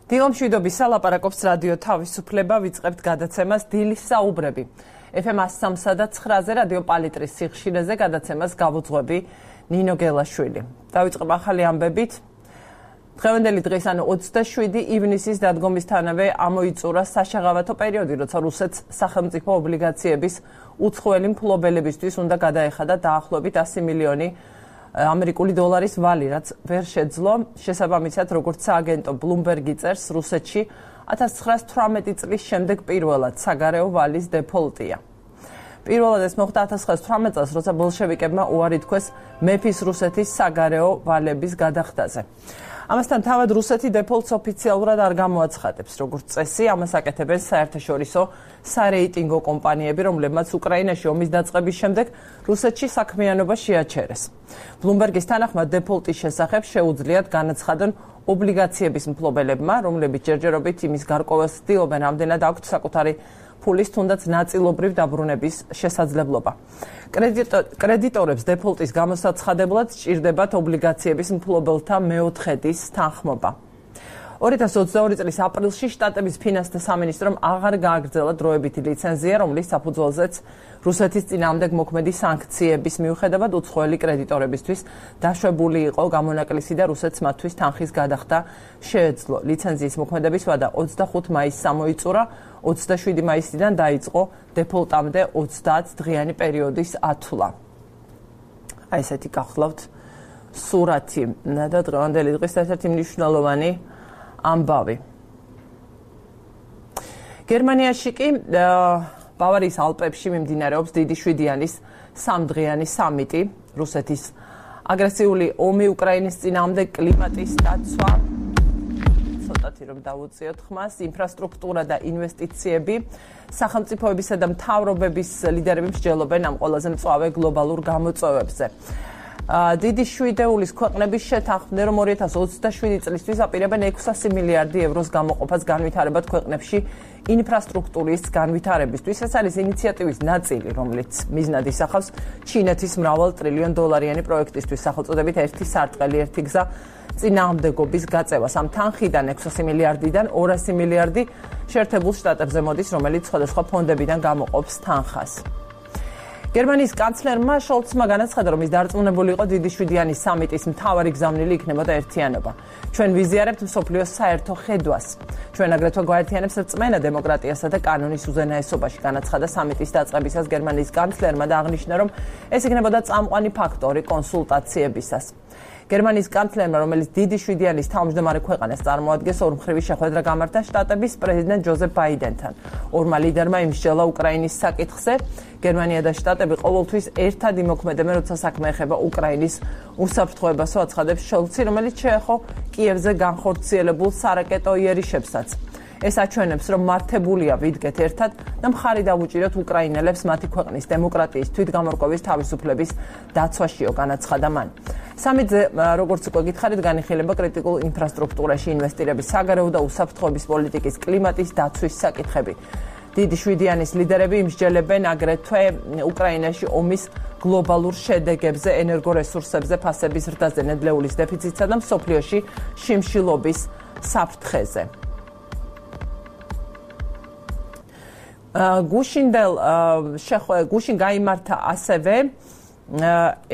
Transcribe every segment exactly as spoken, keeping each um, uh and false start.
დილომშვიდობის სალაპარაკობს რადიო თავისუფლება, ვიწყებთ გადაცემას დილის საუბრები. ეფ ემ one oh three და nine-ზე რადიო პალიტრის სიხშირეზე გადაცემას გავუძღვები ნინო გელაშვილი. დავიწყებ ახალი ამბებით. დღევანდელი დღეს, ანუ ოცდაშვიდი ივნისის დადგომისთანავე ამოიწურა საშაღავათო პერიოდი, როცა რუსეთს სახელმწიფო ობლიგაციების უცხოელი მფლობელებისთვის უნდა გადაეხადა დაახლოებით one hundred მილიონი ამერიკული დოლარის ვალი, რაც ვერ შეძლო. შესაბამისად, როგორც სააგენტო Bloomberg წერს, რუსეთში one thousand nine hundred eighteen წლის შემდეგ პირველად საგარეო ვალის დეფოლტია. პირველად ეს მოხდა one thousand nine hundred eighteen წელს, როცა ბოლშევიკებმა უარი თქვეს მეფის რუსეთის საგარეო ვალების გადახდაზე. ამასთან თავად რუსეთი დეფოლტს ოფიციალურად არ გამოაცხადებს, როგორც წესი, ამას აკეთებენ საერთაშორისო სარეიტინგო კომპანიები, რომლებმაც უკრაინაში ომის დაწყების შემდეგ რუსეთში საქმიანობა შეაჩერეს. Bloomberg-ის თანახმად დეფოლტის შესახებ შეუძლიათ განაცხადონ ობლიგაციების მფლობელებმა, რომლებიც ჯერჯერობით იმის გარკვევას ცდილობენ, ამდენად აქვთ საკუთარი ფულის თუნდაც ნაწილობრივ დაბრუნების შესაძლებლობა. კრედიტორებს დეფოლტის გამოსაცხადებლად სჭირდებათ ობლიგაციების მფლობელთა მეოთხედის თანხმობა. two thousand twenty-two წლის აპრილში შტატების ფინანსთა სამინისტრომ აღარ გააგრძელა დროებითი ლიცენზია, რომლის საფუძველზეც რუსეთის წინააღმდეგ მოქმედი სანქციების მიუხედავად უცხოელი კრედიტორებისთვის დაშვებული იყო გამონაკლისი და რუსეთს მათთვის თანხის გადახდა შეეძლო. ლიცენზიის მოქმედების ვადა twenty-five მაისს ამოიწურა, twenty-seven მაისიდან დაიწყო დეფოლტამდე ოცდაათ დღიანი პერიოდის ათვლა. აი ესეთი გახლავთ სურათი და დღევანდელი დღის ერთ-ერთი მნიშვნელოვანი ამბავი. გერმანიაში კი ბავარიის ალპებში მიმდინარეობს დიდი შვიდიანის სამდღიანი სამიტი, რუსეთის აგრესიული ომი უკრაინის წინააღმდეგ, კლიმატის დაცვა, ცოტათი რომ დავუწიოთ ხმას, ინფრასტრუქტურა და ინვესტიციები, სახელმწიფოებისა და მთავრობების ლიდერები მსჯელობენ ამ ყველაზე მწვავე გლობალურ გამოწვევებზე. დიდი შვიდეულის ქვეყნების შეთანხმდნენ, რომ two thousand twenty-seven წლისთვის აპირებენ six hundred მილიარდი ევროს გამოყოფას განვითარებად ქვეყნებში ინფრასტრუქტურის განვითარებისთვის. ეს არის ინიციატივის ნაწილი, რომელიც მიზნად ისახავს ჩინეთის მრავალ ტრილიონ დოლარიანი პროექტისთვის, სახელწოდებით ერთი სარტყელი, ერთი გზა წინააღმდეგობის გაწევას. ამ თანხიდან six hundred მილიარდიდან two hundred მილიარდი შეერთებულ შტატებზე მოდის, რომელიც სხვადასხვა ფონდებიდან გამოყოფს თანხას. გერმანიის კანცლერმა შოლცმა განაცხადა, რომ ის დარწმუნებული იყო დიდი შვიდიანის სამიტის მთავარი გზავნილი იქნებოდა ერთიანობა. ჩვენ ვიზიარებთ მსოფლიოს საერთო ხედვას. ჩვენ აგრეთვე გვაერთიანებს რწმენა დემოკრატიასა და კანონის უზენაესობაში, განაცხადა სამიტის დაწყებისას გერმანიის კანცლერმა და აღნიშნა, რომ ეს იქნებოდა წამყვანი ფაქტორი კონსულტაციებისას. გერმანიის კანცლერმა, რომელიც დიდი შვიდიანის თავმჯდომარე ქვეყანას წარმოადგენს, ორმხრივი შეხვედრა გამართა შტატების პრეზიდენტ ჯოზეფ ბაიდენთან. ორმა ლიდერმა იმსჯელა უკრაინის საკითხზე. გერმანია და შტატები ყოველთვის ერთად იმოქმედებენ, როცა საქმე ეხება უკრაინის უსაფრთხოებასო, აცხადებს შოლცი, რომელიც შეეხო კიევზე განხორციელებულ სარაკეტო იერიშებსაც. ეს აჩვენებს, რომ მართებულია ვიდგეთ ერთად და მხარი დავუჭიროთ უკრაინელებს მათი ქვეყნის დემოკრატიის თვითგამორკვევის თავისუფლების დაცვაშიო, განაცხადა მან. სამიტზე, როგორც უკვე გითხარით, განიხილება კრიტიკულ ინფრასტრუქტურაში ინვესტირების, საგარეო და უსაფრთხოების პოლიტიკის, კლიმატის დაცვის საკითხები. დიდი შვიდიანის ლიდერები იმსჯელებენ აგრეთვე უკრაინაში ომის გლობალურ შედეგებზე, ენერგორესურსებზე, ფასების ზრდაზე, ნედლეულის დეფიციტსა და მსოფლიოში შიმშილობის საფრთხეზე. გუშინდელ გუშინ გაიმართა ასევე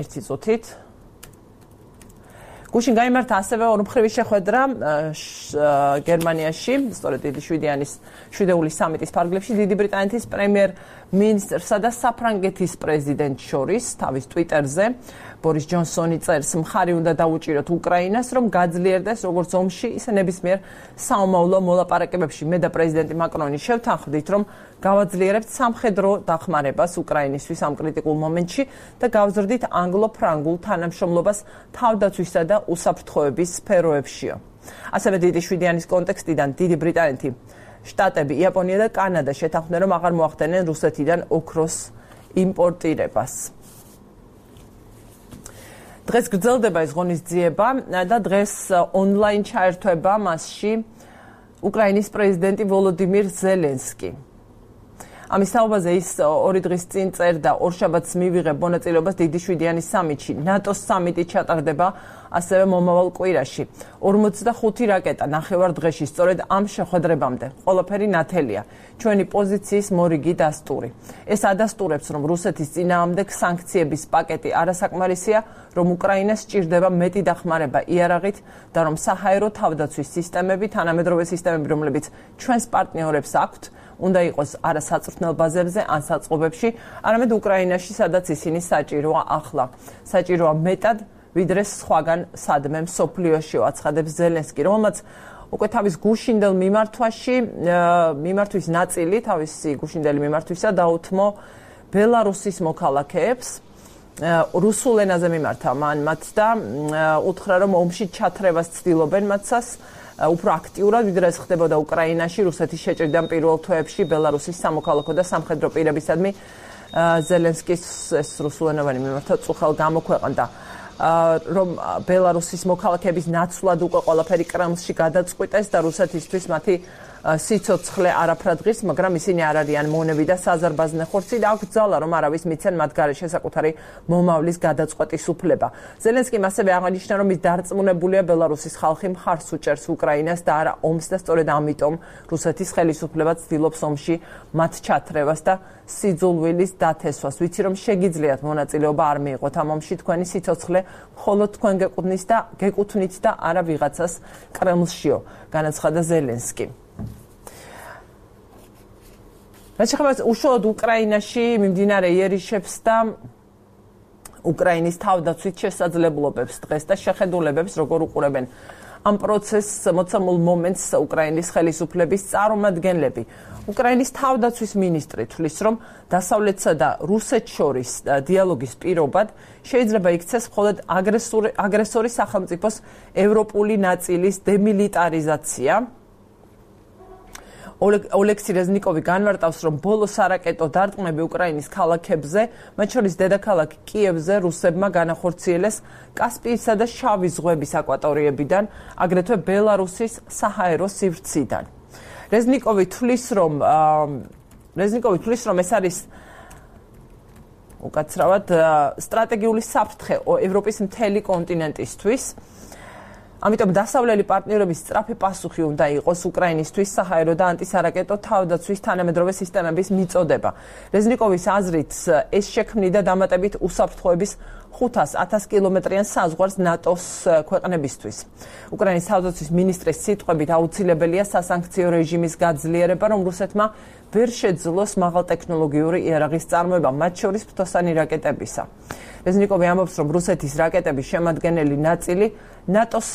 ერთი წუთით გუშინ გაიმართა ასევე ორმხრივი შეხვედრა გერმანიაში, სწორედ დიდი შვიდიანის შვიდეულის სამიტის ფარგლებში, დიდი ბრიტანეთის პრემიერ მინისტრსა და საფრანგეთის პრეზიდენტს შორის. თავის ტვიტერზე ბორის ჯონსონი წერს, მხარი უნდა დაუჭიროთ უკრაინას, რომ გაძლიერდეს როგორც ომში, ისე ნებისმიერ საომავლო მოლაპარაკებებში. მე და პრეზიდენტი მაკრონი შევთანხმდით, რომ გავაძლიერებთ სამხედრო დახმარებას უკრაინისთვის ამ კრიტიკულ მომენტში და გავზრდით ანგლო-ფრანგულ თანამშრომლობას თავდაცვისა და უსაფრთხოების სფეროებშიო. ასევე დიდი შვიდიანის კონტექსტიდან დიდი ბრიტანეთი, შტატები, იაპონია და კანადა შეთანხმდნენ, რომ აღარ მოახდენენ რუსეთიდან ოქროს იმპორტირებას. დღეს გრძელდება ეს ღონისძიება და დღეს ონლაინ ჩაერთვება მასში უკრაინის პრეზიდენტი ვოლოდიმირ ზელენსკი. ამის თაობაზე ის ორი დღის წინ წერდა, ორშაბათს მივიღებ მონაწილეობას დიდი შვიდიანის სამიტში. ნატოს სამიტი ჩატარდება ასევე მომავალ კვირაში. ორმოცდახუთი რაკეტა ნახევარ-დღეში სწორედ ამ შეხვედრებამდე. ყველაფერი ნათელია. ჩვენი პოზიციის მორიგი დასტური. ეს ადასტურებს, რომ რუსეთის წინააღმდეგ სანქციების პაკეტი არასაკმარისია, რომ უკრაინას სჭირდება მეტი დახმარება იარაღით და რომ საჰაერო თავდაცვის სისტემები, თანამედროვე სისტემები, რომლებიც ჩვენს პარტნიორებს აქვთ, უნდა იყოს არა საწვრთნელ ბაზებზე ან საწყობებში, არამედ უკრაინაში, სადაც ისინი საჭიროა ახლა. საჭიროა მეტად, ვიდრე სხვაგან სადმე მსოფლიოში, აცხადებს ზელენსკი, რომელმაც უკვე თავის გუშინდელ მიმართვაში, მიმართვის ნაწილი, თავისი გუშინდელი მიმართვისა დაუთმო ბელარუსის მოქალაქეებს, რუსულ ენაზე მიმართა მან მათ და უთხრა, რომ ომში ჩათრევას ცდილობენ მათსას, უფრო აქტიურად, ვიდრე ეს ხდებოდა უკრაინაში, რუსეთის შეჭრიდან პირველ თვეებში ბელარუსის სამოქალაქო და სამხედრო პირებისადმი ზელენსკის ეს რუსულენოვანი მიმართა წუხელ გამოქვეყნდა. რომ ბელარუსის მოქალაქეების ნაცვლად უკვე ყველაფერი კრემლში გადაწყვიტეს და რუსეთისთვის მათი სიცოცხლე არაფრად ღირს, მაგრამ ისინი არ არიან მონები და საზარბაზნე ხორცი და აქვს ძალა, რომ არავის მიცენ მათ გარეშე საკუთარი მომავლის გადაწყვეტის უფლება. ზელენსკიმ ასევე აღნიშნა, რომ ის დარწმუნებულია ბელარუსის ხალხი მხარს უჭერს უკრაინას და არა ომს და სწორედ ამიტომ რუსეთის ხელისუფლება ცდილობს ომში მათ ჩათრევას და სიძულვილის დათესვას. ვიცი, რომ შეგიძლიათ მონაწილეობა არ მიიღოთ ამ ომში, თქვენი სიცოცხლე მხოლოდ თქვენ გეკუთვნით და გეკუთვნით და არა ვიღაცას კრემლშიო, განაცხადა ზელენსკი. რაც შეეხება უშუალოდ უკრაინაში მიმდინარე იერიშებს და უკრაინის თავდაცვით შესაძლებლობებს დღეს და შეხედულებებს, როგორ უყურებენ ამ პროცესს მოცემულ მომენტს უკრაინის ხელისუფლების წარმომადგენლები. უკრაინის თავდაცვის მინისტრი თვლის, რომ დასავლეთსა და რუსეთს შორის დიალოგის პირობად შეიძლება იქცეს მხოლოდ აგრესორი სახელმწიფოს ევროპული ნაწილის დემილიტარიზაცია. ოლექსი რეზნიკოვი განმარტავს, რომ ბოლო სარაკეტო დარტყმები უკრაინის ქალაქებზე, მათ შორის დედაქალაქ კიევზე რუსებმა განახორციელეს კასპიისა და შავი ზღვების აკვატორიებიდან, აგრეთვე ბელარუსის საჰაერო სივრციდან. რეზნიკოვი თვლის, რომ რეზნიკოვი თვლის, რომ ეს არის უკაცრავად სტრატეგიული საფრთხე ევროპის მთელი კონტინენტისთვის. ამიტომ დასავლელი პარტნიორების სწრაფი პასუხი უნდა იყოს უკრაინისთვის საჰაერო და ანტისარაკეტო თავდაცვის თანამედროვე სისტემების მიწოდება. რეზნიკოვის აზრით, ეს შექმნიდა დამატებით უსაფრთხოების ხუთას ათას კილომეტრიან საზღვარს ნატოს ქვეყნებისთვის. უკრაინის თავდაცვის მინისტრის სიტყვებით აუცილებელია სასანქციო რეჟიმის გაძლიერება, რომ რუსეთმა ვერ შეძლოს მაღალტექნოლოგიური იარაღის წარმოება, მათ შორის ფრთოსანი რაკეტებისა. რეზნიკოვი ამბობს, რომ რუსეთის რაკეტების შემადგენელი ნაწილი ნატოს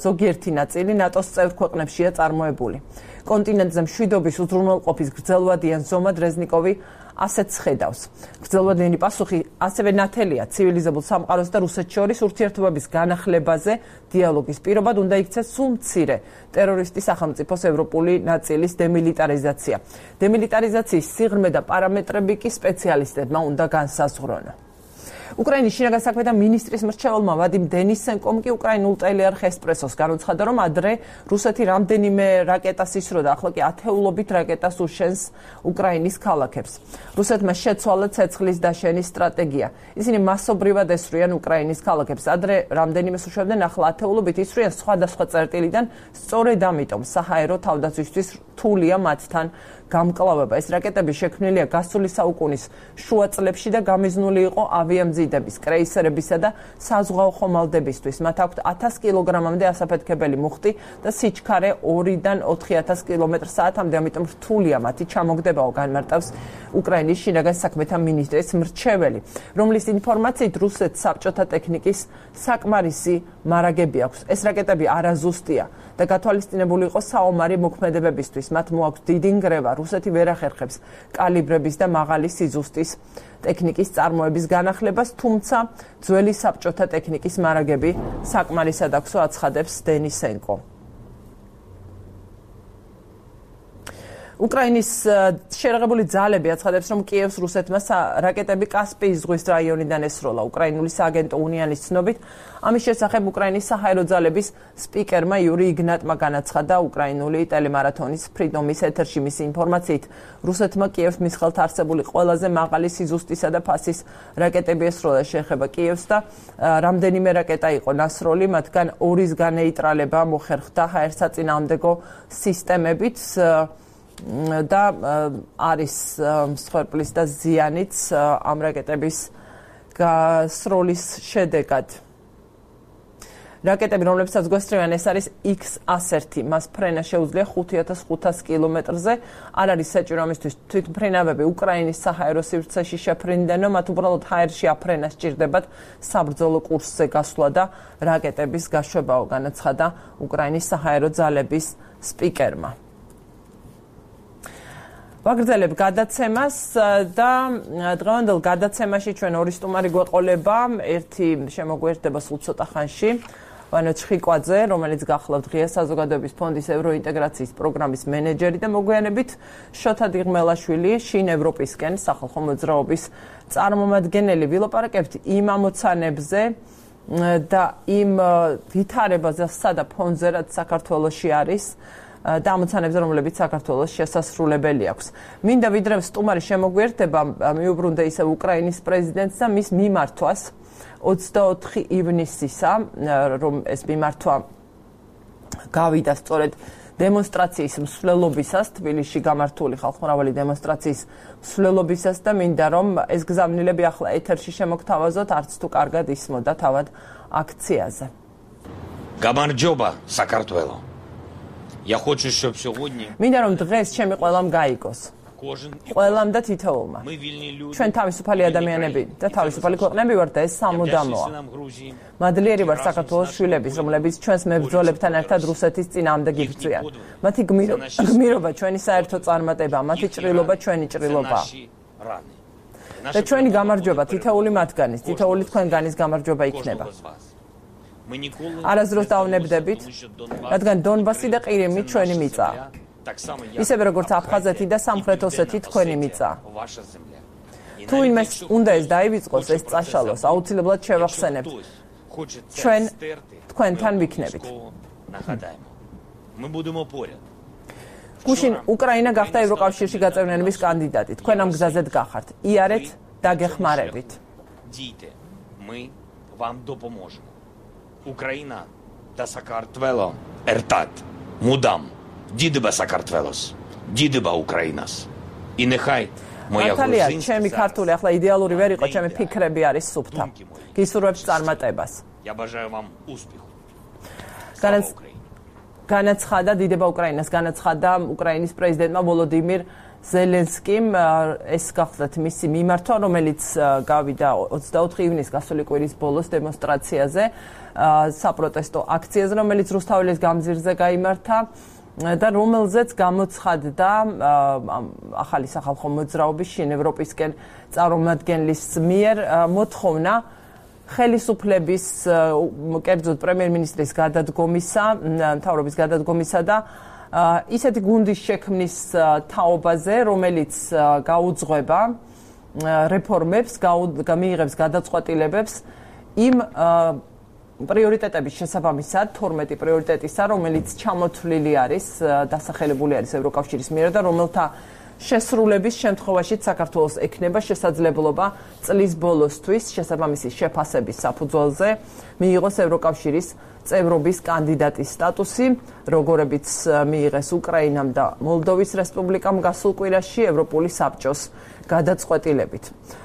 ზოგიერთი ნაწილი ნატოს წევრ ქვეყნებშია წარმოებული. კონტინენტზე მშვიდობის უზრუნველყოფის გრძელვადიან ზომად რეზნიკოვი ასეც ხედავს. გრძელვადიანი პასუხი ასევე ნათელია ცივილიზებულ სამყაროს და რუსეთს შორის ურთიერთობების განახლებაზე დიალოგის პირობად უნდა იქცეს სულ მცირე ტერორისტი სახელმწიფოს ევროპული ნაწილის დემილიტარიზაცია. დემილიტარიზაციის სიღრმე და პარამეტრები კი სპეციალისტებმა უნდა განსაზღვრონ. უკრაინის შინაგან საქმეთა მინისტრის მრჩეველმა ვადიმ დენისენკომ კი უკრაინულ ტელეარხ ესპრესოს განუცხადა, რომ ადრე რუსეთი რამდენიმე რაკეტას ისროდა, ახლა კი ათეულობით რაკეტას უშენს უკრაინის ქალაქებს. რუსეთმა შეცვალა ცეცხლის დაშენის სტრატეგია. ისინი მასობრივად ესვრიან უკრაინის ქალაქებს. ადრე რამდენიმე უშვებდნენ, ახლა ათეულობით ისვრიან სხვადასხვა წერტილიდან, სწორედ ამიტომ საჰაერო თავდაცვისთვის რთულია მათთან გამკლავება. ეს რაკეტები შექმნილია გასული საუკუნის შუა წლებში და გამიზნული იყო ავიამზიდების, კრეისერებისა და საზღვაო ხომალდებისთვის. მათ აქვთ ათას კილოგრამამდე ასაფეთქებელი მუხტი და სიჩქარე ორიდან ოთხი ათას კილომეტრ საათამდე, ამიტომ რთულია მათი ჩამოგდებაო, განმარტავს უკრაინის შინაგან საქმეთა მინისტრის მრჩეველი, რომლის ინფორმაციით რუსეთს საბჭოთა ტექნიკის საკმარისი მარაგები აქვს. ეს რაკეტები არაზუსტია და გათვალისწინებული იყო საომარი მოქმედებებისთვის. მათ მოაქვს დიდი ნგრევა, რუსეთი ვერ ახერხებს კალიბრების და მაღალი სიზუსტის ტექნიკის წარმოების განახლებას, თუმცა ძველი საბჭოთა ტექნიკის მარაგები საკმარისად აქვსო, აცხადებს დენისენკო. უკრაინის შეერაღებული ძალები აცხადებს, რომ კიევს რუსეთმა რაკეტები კასპიის ზღვის რაიონიდან ესროლა. უკრაინული სააგენტო უნიანის ცნობით, ამის შესახებ უკრაინის საჰაერო ძალების სპიკერმა იური იგნატმა განაცხადა უკრაინული ტელემარათონის ფრიდომის ეთერში მისი ინფორმაციით, რუსეთმა კიევს მის ხელთ არსებული ყველაზე მაღალი სიზუსტისა და ფასის რაკეტები ესროლა. შეეხება კიევს და რამდენიმე რაკეტა იყო ნასროლი, მათგან ორის განეიტრალება მოხერხდა ჰაერსაწინააღმდეგო სისტემებით და არის მსხვერპლის და ზიანიც ამ რაკეტების გასროლის შედეგად. რაკეტები, რომლებსაც გვესწრებიან, ეს არის იქს ასი, მას ფრენა შეუძლია ხუთ ათას ხუთას კილომეტრზე. არ არის საჭირო ამისთვის თვითმფრინავები უკრაინის საჰაერო სივრცეში შეფრინდნენო, მათ უბრალოდ ჰაერში აფრენა სჭირდებათ საბრძოლო კურსზე გასვლა და რაკეტების გაშვებაო, განაცხადა უკრაინის საჰაერო ძალების სპიკერმა. ვაგრძელებ გადაცემას და დღევანდელ გადაცემაში ჩვენ ორი სტუმარი გვეყოლება, ერთი შემოგვერდება სულ ცოტა ხანში, ვანო ჩხიკვაძე, რომელიც გახლავთ ღია საზოგადოების ფონდის ევროინტეგრაციის პროგრამის მენეჯერი და მოგვიანებით შოთა დიღმელაშვილი, შინ ევროპისკენ სახალხო მოძრაობის წარმომადგენელი. ვილაპარაკებთ იმ ამოცანებზე და იმ ვითარებაზე და ფონზე, რაც საქართველოში არის და ამოცანებზე, რომლებიც საქართველოს შესასრულებელი აქვს. მინდა ვიდრე სტუმარი შემოგვერდება, მიუბრუნდე ისევ უკრაინის პრეზიდენტს და მის მიმართვას ოცდაოთხი ივნისისა, რომ ეს მიმართვა გავიდა სწორედ დემონსტრაციის მსვლელობისას, თბილისში გამართული ხალხმრავალი დემონსტრაციის მსვლელობისას და მინდა რომ ეს გზავნილები ახლა ეთერში შემოგთავაზოთ, არც თუ კარგად ისმოდა თავად აქციაზე. გამარჯობა საქართველო. Я хочу, чтобы сегодня მინდა რომ დღეს ჩემი ყველამ გაიგოს. ყველამ და თითოეულმა. ჩვენ თავისუფალი ადამიანები და თავისუფალი ქვეყნები ვართ და ეს სამუდამოა. მადლიერი ვარ საქართველოს შვილების, რომლებიც ჩვენს მებრძოლებთან ერთად რუსეთის წინააღმდეგ იბრძვიან. მათი გმირობა ჩვენი საერთო წარმატება, მათი ჭრილობა ჩვენი ჭრილობაა. და ჩვენი გამარჯვება თითოეული მათგანის, თითოეული თქვენგანის გამარჯვება იქნება. არასდროს დავნებდებით, რადგან დონბასი და ყირიმი ჩვენი მიწაა. ისევე როგორც აფხაზეთი და სამხრეთ ოსეთი თქვენი მიწაა. თუ იმეს უნდა ეს დაივიწყოს, ეს წაშალოს, აუცილებლად შევახსენებთ. ჩვენ თქვენთან ვიქნებით. გუშინ უკრაინა გახდა ევროკავშირში გაწევრიანების კანდიდატი. თქვენ ამ გზაზედ გახართ. იარეთ და გეხმარებით. Ukraina და საქართველო ერთად მუდამ დიდება საქართველოს, დიდება უკრაინას. И нехай моя Наталья, ჩემი ქართული ახლა იდეალური ვერ იყო, ჩემი ფიქრები არის სუფთა. გისურვებთ წარმატებას. Я бажаю вам успеху. განაცხადა დიდება უკრაინას, განაცხადა უკრაინის პრეზიდენტმა ვოლოდიმირ ზელენსკიმ, ეს გახლდათ მისი მიმართვა, რომელიც გავიდა ოცდაოთხი ივნისს გასული კვირის ბოლოს დემონსტრაციაზე, საპროტესტო აქციაზე, რომელიც რუსთაველის გამზირზე გაიმართა და რომელზეც გამოცხადდა ახალი სახალხო მოძრაობის შინ ევროპისკენ წარმომადგენლის მიერ მოთხოვნა ხელისუფლების, კერძოდ პრემიერ-მინისტრის გადადგომისა, მთავრობის გადადგომისა და ისეთი გუნდის შექმნის თაობაზე, რომელიც გაუძღვება რეფორმებს, მიიღებს გადაწყვეტილებებს იმ პრიორიტეტების შესაბამისად, თორმეტი პრიორიტეტისა, რომელიც ჩამოთვლილი არის, დასახელებული არის ევროკავშირის მიერ და რომელთა შესრულების შემთხვევაში საქართველოს ექნება შესაძლებლობა წლის ბოლოსთვის შესაბამისი შეფასების საფუძველზე მიიღოს ევროკავშირის წევრობის კანდიდატის სტატუსი, როგორებიც მიიღეს უკრაინამ და მოლდოვის რესპუბლიკამ გასულ კვირაში ევროპული საბჭოს გადაწყვეტილებით.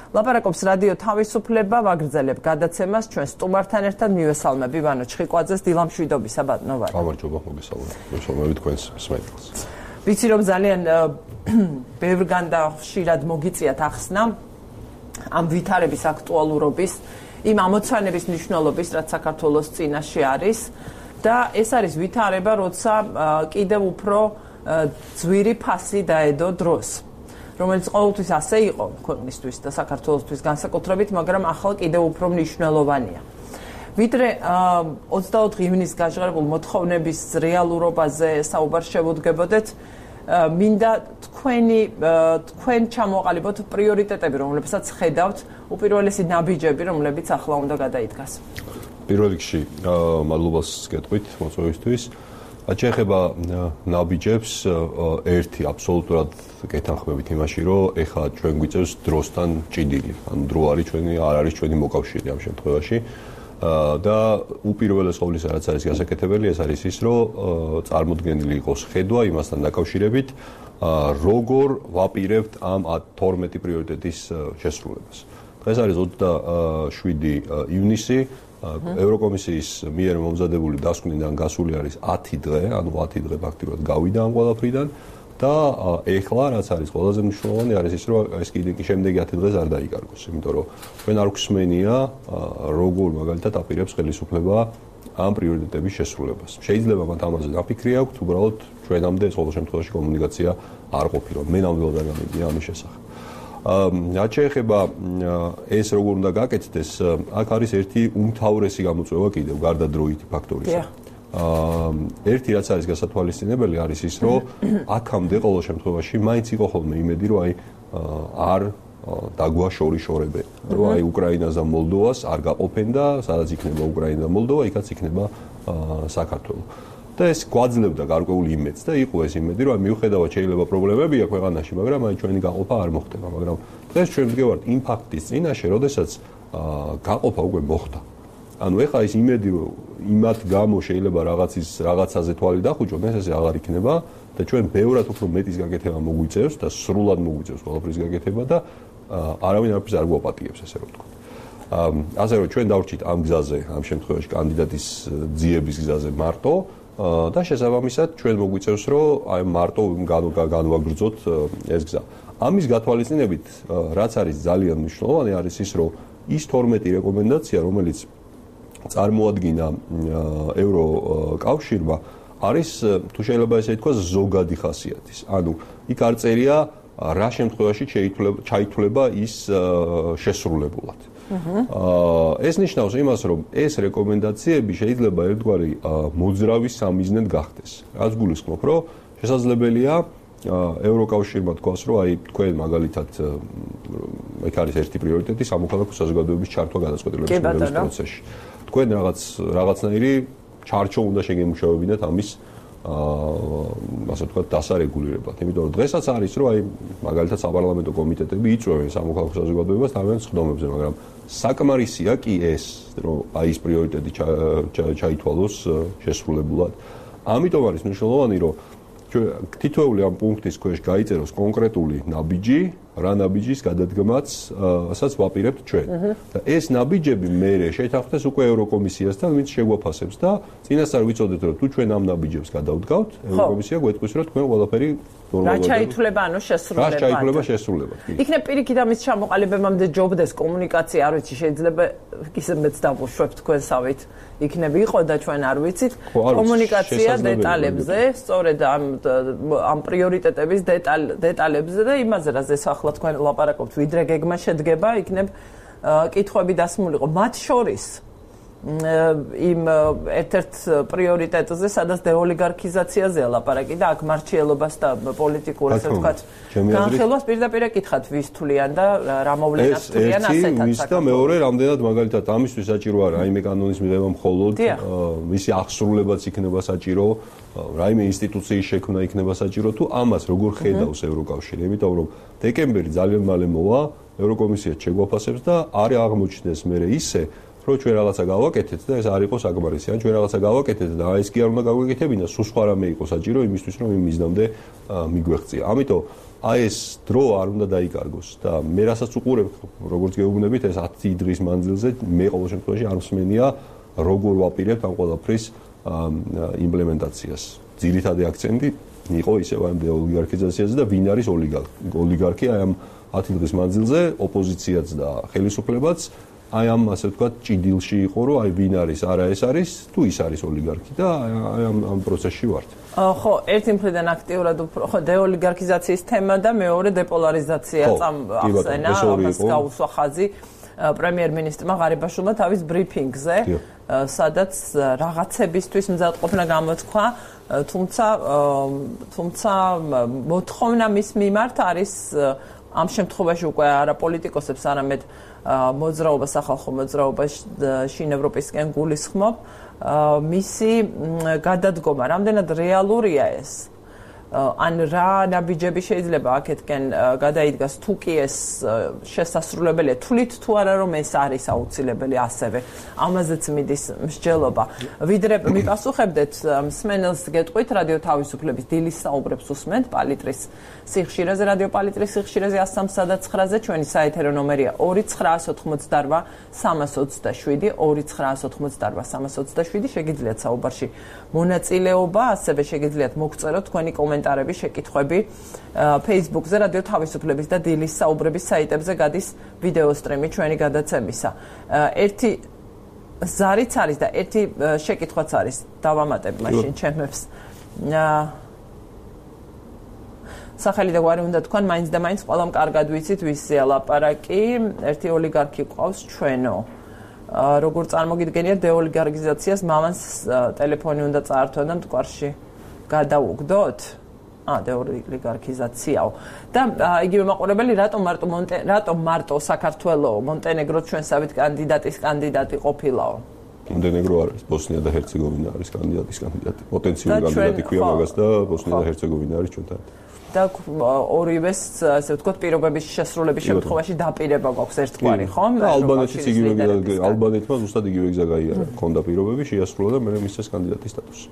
ლაპარაკობს რადიო თავისუფლება, ვაგრძელებ გადაცემას ჩვენ სტუმართან ერთად მივესალმები ვანო ჩხიკვაძეს, დილამშვიდობისა ბატონო ვანო. გამარჯობა, მოგესალმებით. მოგესალმებით თქვენს მსმენელს. ვიცი რომ ძალიან ბევრგან და ხშირად მოგიწიათ ახსნა ამ ვითარების აქტუალურობის, იმ ამოცანების მნიშვნელობის, რაც საქართველოს წინაშე არის და ეს არის ვითარება, როცა კიდევ უფრო ძვირი ფასი დაედო დროს, რომელიც ყოველთვის ასე იყო ქვეყნისთვის და საქართველოსთვის განსაკუთრებით, მაგრამ ახლა კიდევ უფრო მნიშვნელოვანია. ვიდრე ოცდაოთხი ივნისს გაჟღერებულ მოთხოვნების რეალურობაზე საუბარ შევუდგებოდეთ, მინდა თქვენი თქვენ ჩამოყალიბოთ პრიორიტეტები, რომლებსაც ხედავთ, უპირველესი ნაბიჯები, რომლებიც ახლა უნდა გადაიდგას. პირველ რიგში, მადლობას გეტყვით მოწვევისთვის. შეეხება ნაბიჯებს, ერთი აბსოლუტურად გეთანხმებით იმაში, რომ ეხლა ჩვენ გვიწევს დროსთან ჭიდილი. ანუ დრო არის ჩვენი, არ არის ჩვენი მოკავშირე ამ შემთხვევაში. და უპირველეს ყოვლისა, რაც არის გასაკეთებელი, ეს არის ის, რომ წარმოდგენილი იყოს ხედვა იმასთან დაკავშირებით, როგორ ვაპირებთ ამ თორმეტი პრიორიტეტის შესრულებას. დღეს არის ოცდაშვიდი ივნისი. ევროკომისიის მიერ მომზადებული დასკვნიდან გასული არის ათი დღე, ანუ ათი დღე ფაქტიურად გავიდა ამ ყველაფრიდან და ეხლა რაც არის ყველაზე მნიშვნელოვანი არის ის, რომ ეს კიდე შემდეგი ათი დღეს არ დაიკარგოს, იმიტომ რომ ჩვენ არ გვსმენია როგორ მაგალითად აპირებს ხელისუფლება ამ პრიორიტეტების შესრულებას. შეიძლება მათ ამაზე დაფიქრი აქვთ, უბრალოდ ჩვენამდე ეს ყოველ შემთხვევაში კომუნიკაცია არ ყოფილა. მე ნამდვილად არ გამიგია ამის შესახებ. რაც შეეხება ეს როგორ უნდა გაკეთდეს, აქ არის ერთი უმთავრესი გამოწვევა კიდევ გარდა დროითი ფაქტორისა. ერთი რაც არის გასათვალისწინებელი არის ის, რომ აქამდე ყოველ შემთხვევაში მაინც იყო ხოლმე იმედი, რომ აი არ დაგვაშორიშორებენ, რომ აი უკრაინას და მოლდოვას არ გაყოფენ და სადაც იქნება უკრაინა და მოლდოვა, იქაც იქნება საქართველო. და ეს გვაძლევდა გარკვეული იმედს და იყო ეს იმედი, რომ მიუხედავად შეიძლება პრობლემებია ქვეყანაში, მაგრამ აი ჩვენი გაყოფა არ მოხდება, მაგრამ დღეს ჩვენ ვდგევართ იმ ფაქტის წინაშე, როდესაც გაყოფა უკვე მოხდა. ანუ ეხლა ის იმედი, რომ იმათ გამო შეიძლება რაღაცის რაღაცაზე თვალი დახვიჭონ, ეს ესე აღარ იქნება და ჩვენ ბევრად უფრო მეტის გაკეთება მოგვიწევს და სრულად მოგვიწევს ყველაფრის გაკეთება და არავინ არაფერს არ გვაპატიებს, ესე რომ ვთქვათ. ასე რომ ჩვენ დავრჩით ამ გზაზე, ამ შემთხვევაში კანდიდატის ძიების გზაზე მარტო და შესაბამისად ჩვენ მოგვიწევს, რომ აი მარტო განვაგრძოთ ეს გზა. ამის გათვალისწინებით, რაც არის ძალიან მნიშვნელოვანი, არის ის, რომ ის თორმეტი რეკომენდაცია, რომელიც წარმოადგინა ევროკავშირმა, არის თუ შეიძლება ესე ითქვას ზოგადი ხასიათის. ანუ იქ არ წერია რა შემთხვევაში ჩაითვლება ის შესრულებულად. ეს ნიშნავს იმას, რომ ეს რეკომენდაციები შეიძლება ერთგვარი მოძრავი სამიზნედ გახდეს. რაც გულისხმობ, რომ შესაძლებელია ევროკავშირმა თქვას, რომ აი თქვენ მაგალითად ეგ არის ერთი პრიორიტეტი სამოქალაქო საზოგადოების ჩართვა გადაწყვეტილების პროცესში. თქვენ რაღაც რაღაცნაირი ჩარჩო უნდა შეგემუშავებინათ ამის ასე ვთქვათ დასარეგულირებლად. იმიტომ რომ დღესაც არის, რომ აი მაგალითად საპარლამენტო კომიტეტები იწვევენ სამოქალაქო საზოგადოებას თავიანთ სხდომებზე, მაგრამ საკმარისია კი ეს, რომ აი ეს პრიორიტეტი ჩაითვალოს შესრულებულად. ამიტომ არის მნიშვნელოვანი, რომ თითოეული ამ პუნქტის ქვეშ გაიწეროს კონკრეტული ნაბიჯი, რა ნაბიჯის გადადგმაც, ასაც ვაპირებთ ჩვენ. და ეს ნაბიჯები მერე შეთანხმდეს უკვე ევროკომისიასთან, ვინც შეგვაფასებს და წინასწარ ვიცოდეთ, რომ თუ ჩვენ ამ ნაბიჯებს გადავდგავთ, ევროკომისია გვეთქვის, რომ თქვენ ყველაფერი რა ჩაითვლება, ანუ შესრულებად. რა ჩაითვლება შესრულებად. იქნებ პირიქით ამის ჩამოყალიბებამდე ჯობდეს კომუნიკაცია, არ ვიცი, შეიძლება ისედაც დავუშვებ თქვენსავით. იქნებ იყო და ჩვენ არ ვიცით კომუნიკაცია დეტალებზე, სწორედ ამ ამ პრიორიტეტების დეტალებზე და იმაზე, რაზეც ახლა თქვენ ლაპარაკობთ, ვიდრე გეგმა შედგება, იქნებ კითხვები დასმულიყო. მათ შორის იმ ერთ-ერთ პრიორიტეტზე, სადაც დეოლიგარქიზაციაზეა ლაპარაკი და აქ მარჩიელობას და პოლიტიკურ, ასე ვთქვათ, განხილვას პირდაპირ ეკითხათ, ვის თვლიან და რა მოვლენას თვლიან ასეთად. ეს და მეორე, რამდენად მაგალითად ამისთვის საჭირო არა რაიმე კანონის მიღება მხოლოდ, მისი აღსრულებაც იქნება საჭირო, რაიმე ინსტიტუციის შექმნა იქნება საჭირო, თუ ამას როგორ ხედავს ევროკავშირი, იმიტომ რომ დეკემბერი ძალიან მალე მოვა, ევროკომისია შეგვაფასებს და არ აღმოჩნდეს მერე ისე რომ ჩვენ რაღაცა გავაკეთეთ და ეს არ იყოს საკმარისი. ან ჩვენ რაღაცა გავაკეთეთ და ეს კი არ უნდა გავაკეთებინა, სულ სხვა რამე იყო საჭირო იმისთვის, რომ იმ მიზნამდე მიგვეღწია. ამიტომ აი ეს დრო არ უნდა დაიკარგოს და მე რასაც უყურებ, როგორც გეუბნებით, ეს ათი დღის მანძილზე მე ყოველ შემთხვევაში არ მსმენია, როგორ ვაპირებთ ამ ყველაფრის იმპლემენტაციას. ძირითადი აქცენტი იყო ისევ ამ ოლიგარქიზაციაზე და ვინ არის ოლიგარქი აი ამ ათი დღის მანძილზე, ოპოზიციაც და ხელისუფლებაც აი ამ ასე ვთქვათ ჭიდილში იყო, რომ აი ვინ არის, არა ეს არის, თუ ის არის ოლიგარქი და აი ამ ამ პროცესში ვართ. ხო, ერთი მხრიდან აქტიურად უფრო ხო დეოლიგარქიზაციის თემა და მეორე დეპოლარიზაცია წამახსენა, ამას გაუსვა ხაზი პრემიერ-მინისტრმა ღარიბაშვილმა თავის ბრიფინგზე, სადაც რაღაცებისთვის მზადყოფნა გამოთქვა, თუმცა თუმცა მოთხოვნა მის მიმართ არის ამ შემთხვევაში უკვე არა პოლიტიკოსებს, არამედ მოძრაობა, სახალხო მოძრაობა შინ ევროპისკენ გულისხმობ, მისი გადადგომა, რამდენად რეალურია ეს? ან რა ნაბიჯები შეიძლება აქეთკენ გადაიდგას თუ კი ეს შესასრულებელია, თვლით თუ არა რომ ეს არის აუცილებელი ასევე, ამაზეც მიდის მსჯელობა. ვიდრე მიპასუხებდეთ მსმენელს გეტყვით რადიო თავისუფლების დილის საუბრებს უსმენთ პალიტრის სიხშირეზე, რადიო პალიტრის სიხშირეზე one thirty-nine ცხრაზე, ჩვენი საეთერო ნომერია two nine ოთხმოცდარბა სამას ოცდაშვიდი, two nine ოთხმოცდარბა სამას ოცდაშვიდი, შეგიძლიათ საუბარში მონაწილეობა, ასევე შეგიძლიათ მოგწეროთ თქვენი კომენტარები, შეკითხვები Facebook-ზე, რადიო თავისუფლების და დილის საუბრების საიტებზე გადის ვიდეო სტრიმი ჩვენი გადაცემისა. ერთი ზარიც არის და ერთი შეკითხვაც არის, დავამატებ მაშინ ჩემებს. სახელი და გვარი უნდა თქვან, მაინც და მაინც ყველამ კარგად ვიცით ვისია ლაპარაკი, ერთი ოლიგარქი ყავს ჩვენო. როგორ წარმოგიდგენიათ დეოლიგარქიზაციას, მამას ტელეფონი უნდა წაართვა და მტკვარში გადაუგდოთ? ა დეოლიგარქიზაციაო. და იგივე მაყურებელი, რატომ მარტო რატომ მარტო საქართველო, მონტენეგრო ჩვენსავით კანდიდატის კანდიდატი ყოფილაო? მონტენეგრო არის, ბოსნია და ჰერცეგოვინა არის კანდიდატის კანდიდატი. პოტენციური კანდიდატი ქვია მაგას და ბოსნია და ჰერცეგოვინა არის ჩვენთან. და ორივეს, ასე ვთქვათ, პირობების შესრულების შემთხვევაში დაპირება გვაქვს ერთგვარი, ხო? ალბანეთიც იგივე ალბანეთმა ზუსტად იგივე გზა გაიარა, ჰქონდა პირობები, შეასრულა და მე მისცეს კანდიდატის სტატუსი.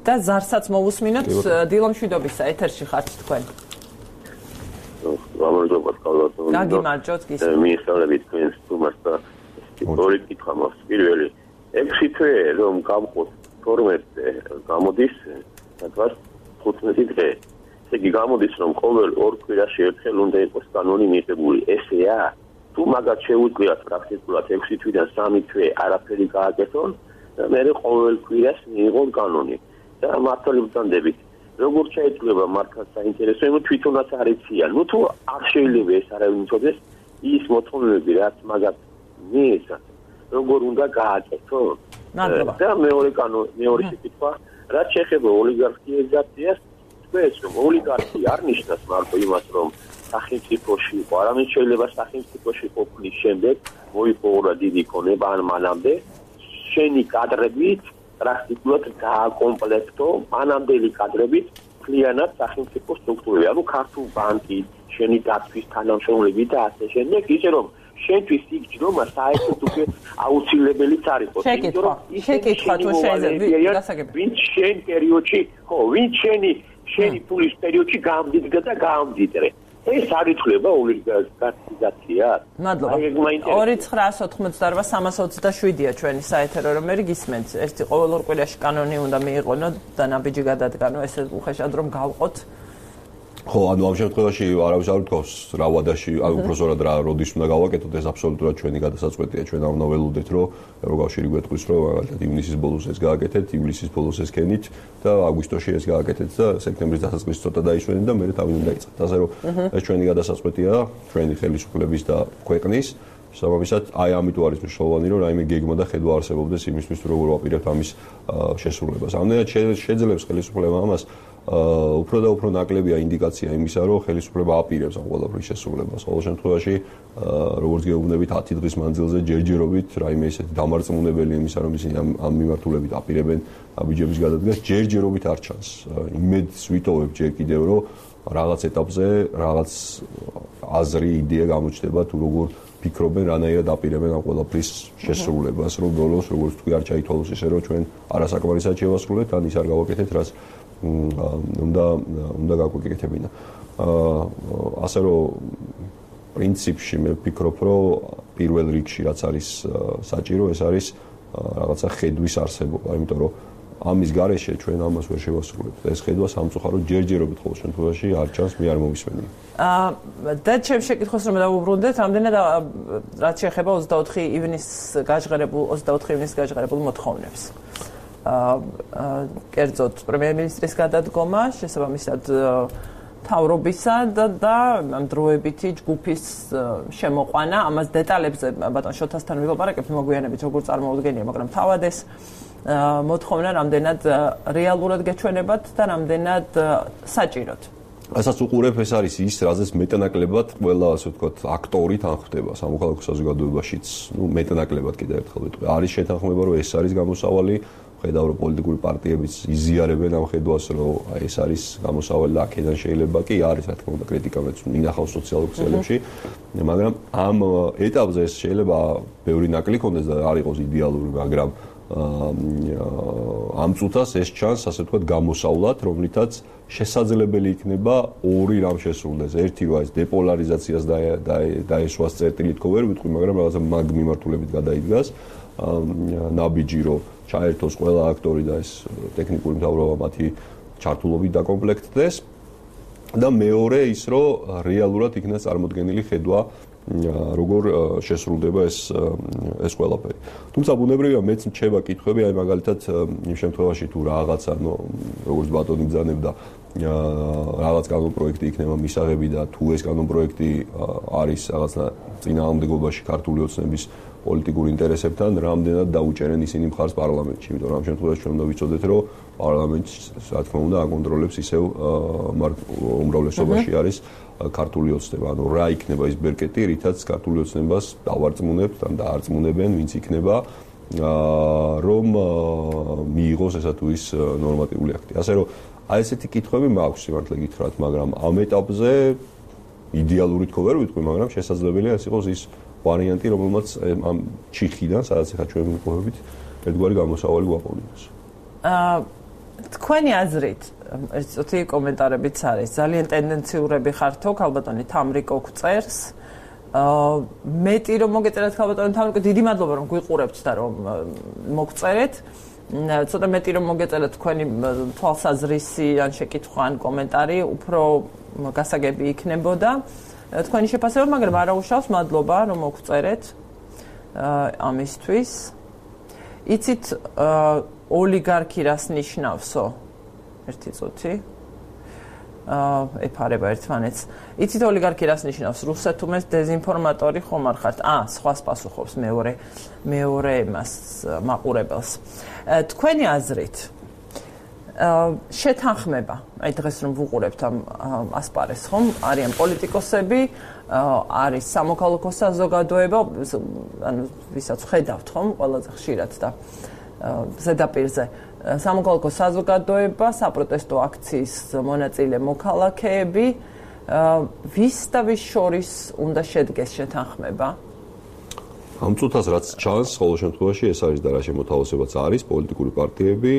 და ზარსაც მოვუსმინოთ, დილომშვიდობისა ეთერში ხართ თქვენ. გამარჯობა, კალათო. გაგიმარჯოთ, გისმენთ. მიესწავლებით თქვენს თუმას და ორი კითხვა მაქვს. პირველი, ექვსი თვე რომ გავყოთ თორმეტზე გამოდის, თქვათ ხუთმეტი დღე. ესე იგი გამოდის რომ ყოველ ორ კვირაში ერთხელ უნდა იყოს კანონი მიღებული. ესეა? თუ მაგათ შეუძლიათ პრაქტიკულად ექვსი თვიდან სამი თვე არაფერი გააკეთონ, მე ყოველ კვირას მიიღონ კანონი. და მართალი ვწანდებით. როგორ შეიძლება მართლა საინტერესო, იმით თვითონაც არ იციან. ნუ თუ არ შეიძლება ეს არავინ იცოდეს, ის მოთხოვნები რაც მაგათ მიეცათ, როგორ უნდა გააკეთონ. და მეორე კანონი, მეორე შეკითხვა, რაც შეეხება ოლიგარქიზაციას, თქვენს რომ ოლიგარქი არ ნიშნავს მარტო იმას, რომ სახელმწიფოში იყო, არამედ შეიძლება სახელმწიფოში ყოფნის შემდეგ მოიპოვა დიდი ქონება ან მანამდე შენი კადრებით პრაქტიკულად გააკომპლექტო მანამდელი კადრებით მთლიანად სახელმწიფო სტრუქტურები, ანუ ქართულ ბანკი, შენი დაცვის თანამშრომლები და ასე შემდეგ, ისე რომ შენთვის იქ ჯდომა საერთოდ უკვე აუცილებელიც არ იყოს. შეკითხვა, შეკითხვა თუ შეიძლება, ვინც შენ პერიოდში, ხო, ვინც შენი შენი პულის პერიოდში გამდიდგა და გამდიდრე. ეს არ ითვლება ოლიგარქიზაცია? მადლობა. two nine ოთხმოცდარბა სამას ოცდაშვიდია ჩვენი საეთერო ნომერი, გისმენთ. ერთი ყოველ ორ კვირაში კანონი უნდა მიიღონო და ნაბიჯი გადადგანო, ესე უხეშად რომ გავყოთ. ხო, ანუ ამ შემთხვევაში არავის არ უთქვავს რა ვადაში, აი უბრალოდ რა როდის უნდა გავაკეთოთ, ეს აბსოლუტურად ჩვენი გადასაწყვეტია. ჩვენ არ უნდა ველოდეთ, რომ ევროკავშირი გვეტყვის, რომ მაგალითად ივნისის ბოლოს ეს გააკეთეთ, ივლისის ბოლოს ეს კენით და აგვისტოში ეს გააკეთეთ და სექტემბრის დასაწყისში ცოტა დაისვენეთ და მერე თავი უნდა დაიწყეთ. ასე რომ ეს ჩვენი გადასაწყვეტია, ჩვენი ხელისუფლების და ქვეყნის. სამომისად, აი ამიტომ არის მნიშვნელოვანი, რომ რაიმე გეგმა და ხედვა არსებობდეს იმისთვის, რომ როგორ ვაპირებთ ამის შესრულებას. ამდენად შეძლებს ხელისუფლება ამას უფრო და უფრო ნაკლებია ინდიკაცია იმისა, რომ ხელისუფლება აპირებს ამ ყველაფრის შესრულებას. ყოველ შემთხვევაში, როგორც გეუბნებით, ათი დღის მანძილზე ჯერჯერობით რაიმე ისეთი დამარწმუნებელი იმისა, რომ ისინი ამ ამ მიმართულებით აპირებენ აბიჯების გადადგას, ჯერჯერობით არ ჩანს. იმედს ვიტოვებ ჯერ კიდევ, რომ რაღაც ეტაპზე რაღაც აზრი, იდეა გამოჩნდება თუ როგორ ფიქრობენ, რანაირად აპირებენ ამ ყველაფრის შესრულებას, რომ ბოლოს როგორც თქვი არ ჩაითვალოს ისე, რომ ჩვენ არასაკმარისად შევასრულეთ, ან ის არ გავაკეთეთ, რაც უნდა უნდა გაგვეკეთებინა. ასე რომ პრინციპში მე ვფიქრობ, რომ პირველ რიგში რაც არის საჭირო, ეს არის რაღაცა ხედვის არსებობა, იმიტომ რომ ამის გარეშე ჩვენ ამას ვერ შევასრულებთ. ეს ხედვა სამწუხაროდ ჯერჯერობით ყოველ შემთხვევაში არ ჩანს, მე არ მომისმენია. აა და ჩემს შეკითხვას რომ დავუბრუნდეთ, ამდენად რაც შეეხება ოცდაოთხი ივნის გაჟღერებულ ოცდაოთხი ივნის გაჟღერებულ მოთხოვნებს. აა კერძოდ პრემიერ-მინისტრის გადადგომა, შესაბამისად თავრობისა და და დროებითი ჯგუფის შემოყვანა, ამას დეტალებზე ბატონ შოთასთან ვილაპარაკებთ მოგვიანებით, როგორ წარმოუდგენია, მაგრამ თავად ეს მოთხოვნა რამდენად რეალურად გეჩვენებათ და რამდენად საჭიროთ. ასაც უყურებ, ეს არის ის, რაზეც მეტანაკლებად ყველა, ასე ვთქვათ, აქტორი თანხმდება სამოქალაქო საზოგადოებაშიც, ну, მეტანაკლებად კიდევ ერთხელ ვიტყვი. არის შეთანხმება, რომ ეს არის გამოსავალი, ხედავ რომ პოლიტიკური პარტიებიც იზიარებენ ამ ხედვას, რომ ეს არის გამოსავალი და აქედან შეიძლება კი არის, რა თქმა უნდა, კრიტიკა მეც მინახავს სოციალურ ქსელებში, მაგრამ ამ ეტაპზე ეს შეიძლება ბევრი ნაკლი ქონდეს და არ იყოს იდეალური, მაგრამ ამ წუთას ეს ჩანს, ასე ვთქვათ, გამოსავლად, რომლითაც შესაძლებელი იქნება ორი რამ შესრულდეს. ერთი რა ის დეპოლარიზაციას დაესვას წერტილით ხო ვერ ვიტყვი, მაგრამ რაღაცა მაგ მიმართულებით გადაიდგას. ნაბიჯი რომ ჩაერთოს ყველა აქტორი და ეს ტექნიკური მთავრობა მათი ჩართულობით დაკომპლექტდეს და მეორე ის რომ რეალურად იქნას წარმოდგენილი ხედვა როგორ შესრულდება ეს ეს ყველაფერი. თუმცა ბუნებრივია მეც მრჩება კითხვები, აი მაგალითად იმ შემთხვევაში თუ რაღაცა, ნუ როგორც ბატონი ბრძანებდა რაღაც კანონპროექტი იქნება მისაღები და თუ ეს კანონპროექტი არის რაღაცა წინააღმდეგობაში ქართული ოცნების პოლიტიკურ ინტერესებთან, რამდენად დაუჭერენ ისინი მხარს პარლამენტში, იმიტომ რომ ამ შემთხვევაში ჩვენ უნდა ვიცოდეთ, რომ პარლამენტი, რა თქმა უნდა, აკონტროლებს ისევ უმრავლესობაში არის ქართული ოცნება. ანუ რა იქნება ის ბერკეტი, რითაც ქართული ოცნებას დავარწმუნებთ ან დაარწმუნებენ, ვინც იქნება, რომ მიიღოს ესა თუ ის ნორმატიული აქტი. ასე რომ აი ესეთი კითხვები მაქვს სიმართლე გითხრათ, მაგრამ ამ ეტაპზე იდეალური თქო ვერ ვიტყვი, მაგრამ შესაძლებელია ეს იყოს ის ვარიანტი, რომელმაც ამ ჩიხიდან, სადაც ახლა ჩვენ ვიყვებით, ერთგვარი გამოსავალი გვაყოლინოს. აა თქვენი აზრით, ეს ცოტი კომენტარებიც არის, ძალიან ტენდენციურები ხართო, ქალბატონი თამრიკო გწერს. აა მეტი რომ მოგეწერეთ ქალბატონი თამრიკო, დიდი მადლობა რომ გვიყურებთ და რომ მოგწერეთ. ცოტა მეტი რომ მოგეწერეთ თქვენი თვალსაზრისი ან შეკითხვა ან კომენტარი, უფრო გასაგები იქნებოდა. თქვენი შეფასება, მაგრამ არაუშავს, მადლობა რომ მოგწერეთ ამისთვის. იცით ოლიგარქი რას ნიშნავსო? ერთი წუთი. აა ეფარება ერთმანეთს. იცით ოლიგარქი რას ნიშნავს? რუსეთუმეს დეზინფორმატორი ხომ არ ხართ? აა, სხვას პასუხობს მეორე მეორე მას მაყურებელს. თქვენი აზრით შეთანხმება, აი დღეს რომ ვუყურებთ ამ ასპარეზს, ხომ? არიან პოლიტიკოსები, არის სამოქალაქო საზოგადოება, ანუ ვისაც ხედავთ, ხომ? ყველაზე ხშირად და ზედაპირზე სამოქალაქო საზოგადოება, საპროტესტო აქციის მონაწილე მოქალაქეები, ვის და ვის შორის უნდა შედგეს შეთანხმება? ამ წუთას რაც ჩანს, ყოველ შემთხვევაში ეს არის და რა შემოთავაზებაც არის, პოლიტიკური პარტიები,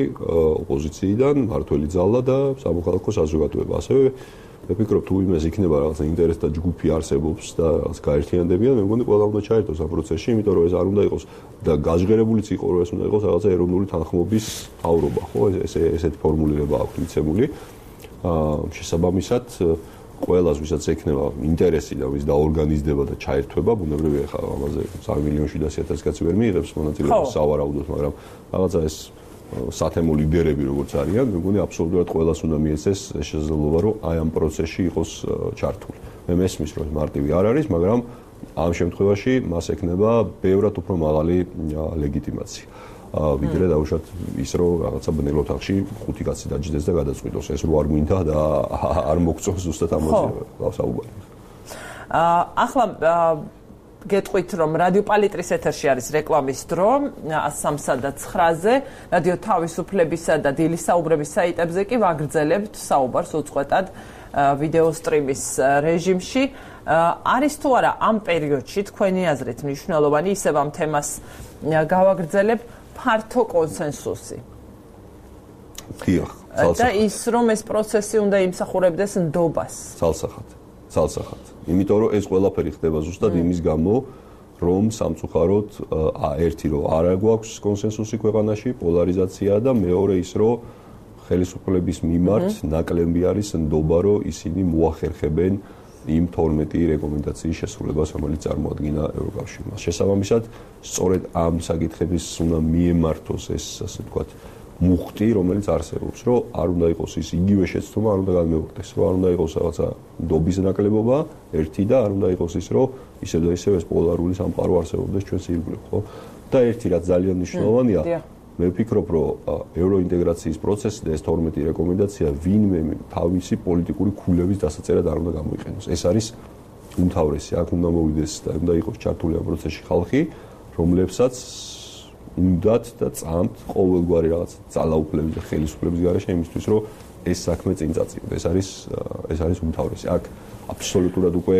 ოპოზიციიდან, მართველი ძალა და სამოქალაქო საზოგადოება. ასევე მე ვფიქრობ, თუ იმას იქნება რაღაცა ინტერესთა ჯგუფი არსებობს და რაღაც გაერთიანდებიან, მე მგონი ყველა უნდა ჩაერთოს ამ პროცესში, იმიტომ რომ ეს არ უნდა იყოს და გაჟღერებულიც იყო, რომ ეს უნდა იყოს რაღაცა ეროვნული თანხმობის მთავრობა, ხო? ეს ესეთი ფორმულირება აქვს მიცემული. აა შესაბამისად ყველას, ვისაც ექნება ინტერესი და ვის დაორგანიზდება და ჩაერთვება, ბუნებრივია ხა ამაზე სამი მილიონში და ათი ათას კაცი ვერ მიიღებს მონაწილეობას სავარაუდოდ, მაგრამ რაღაცა ეს სათემო ლიდერები როგორც არიან, მე მგონი აბსოლუტურად ყველას უნდა მიეცეს შესაძლებლობა, რომ აი ამ პროცესში იყოს ჩართული. მე მესმის, რომ მარტივი არ არის, მაგრამ ამ შემთხვევაში მას ექნება ბევრად უფრო მაღალი ლეგიტიმაცია. ვიდრე დაუშვათ ის რომ რაღაცა ბნელ ოთახში ხუთი კაცი დაჯდეს და გადაწყვიტოს ეს რო არ გვინდა და არ მოგწონს ზუსტად ამაზე საუბარი. აა ახლა გეტყვით რომ რადიო პალიტრის ეთერში არის რეკლამის დრო ათს სამსა და ცხრაზე, რადიო თავისუფლებისა და დილის საუბრების საიტებზე კი ვაგრძელებთ საუბარს უწყვეტად ვიდეო სტრიმის რეჟიმში. არის თუ არა ამ პერიოდში თქვენი აზრით მნიშვნელოვანი ისევ ამ თემას გავაგრძელებ ფართო კონსენსუსი. დიახ, და ის რომ ეს პროცესი უნდა იმსახურებდეს ნდობას. ცალსახად. ცალსახად. იმიტომ რომ ეს ყველაფერი ხდება ზუსტად იმის გამო, რომ სამწუხაროდ ერთი რომ არ გვაქვს კონსენსუსი ქვეყანაში, პოლარიზაცია და მეორე ის რომ ხელისუფლების მიმართ ნაკლები არის ნდობა, რომ ისინი მოახერხებენ იმ თორმეტი რეკომენდაციის შესრულებას, რომელიც წარმოადგინა ევროკავშირმა. შესაბამისად, სწორედ ამ საკითხების უნდა მიემართოს ეს, ასე ვთქვათ, მუხტი, რომელიც არსებობს, რომ არ უნდა იყოს ის იგივე შეცდომა, არ უნდა გადმეუხდეს, რომ არ უნდა იყოს რაღაცა ნდობის ნაკლებობა, ერთი და არ უნდა იყოს ის, რომ ისევ და ისევ ეს პოლარული სამყარო არსებობდეს ჩვენს ირგვლივ, ხო? და ერთი რაც ძალიან მნიშვნელოვანია, მე ვფიქრობ, რომ ევროინტეგრაციის პროცესი და ეს თორმეტი რეკომენდაცია ვინმე თავისი პოლიტიკური ქულების დასაწერად არ უნდა გამოიყენოს. ეს არის უმთავრესი. აქ უნდა მოვიდეს და უნდა იყოს ჩართული ამ პროცესში ხალხი, რომლებსაც უნდათ და წამთ ყოველგვარი რაღაც ძალაუფლების და ხელისუფლების გარეშე იმისთვის, რომ ეს საქმე წინ წაწიოს. ეს არის ეს არის უმთავრესი. აქ აბსოლუტურად უკვე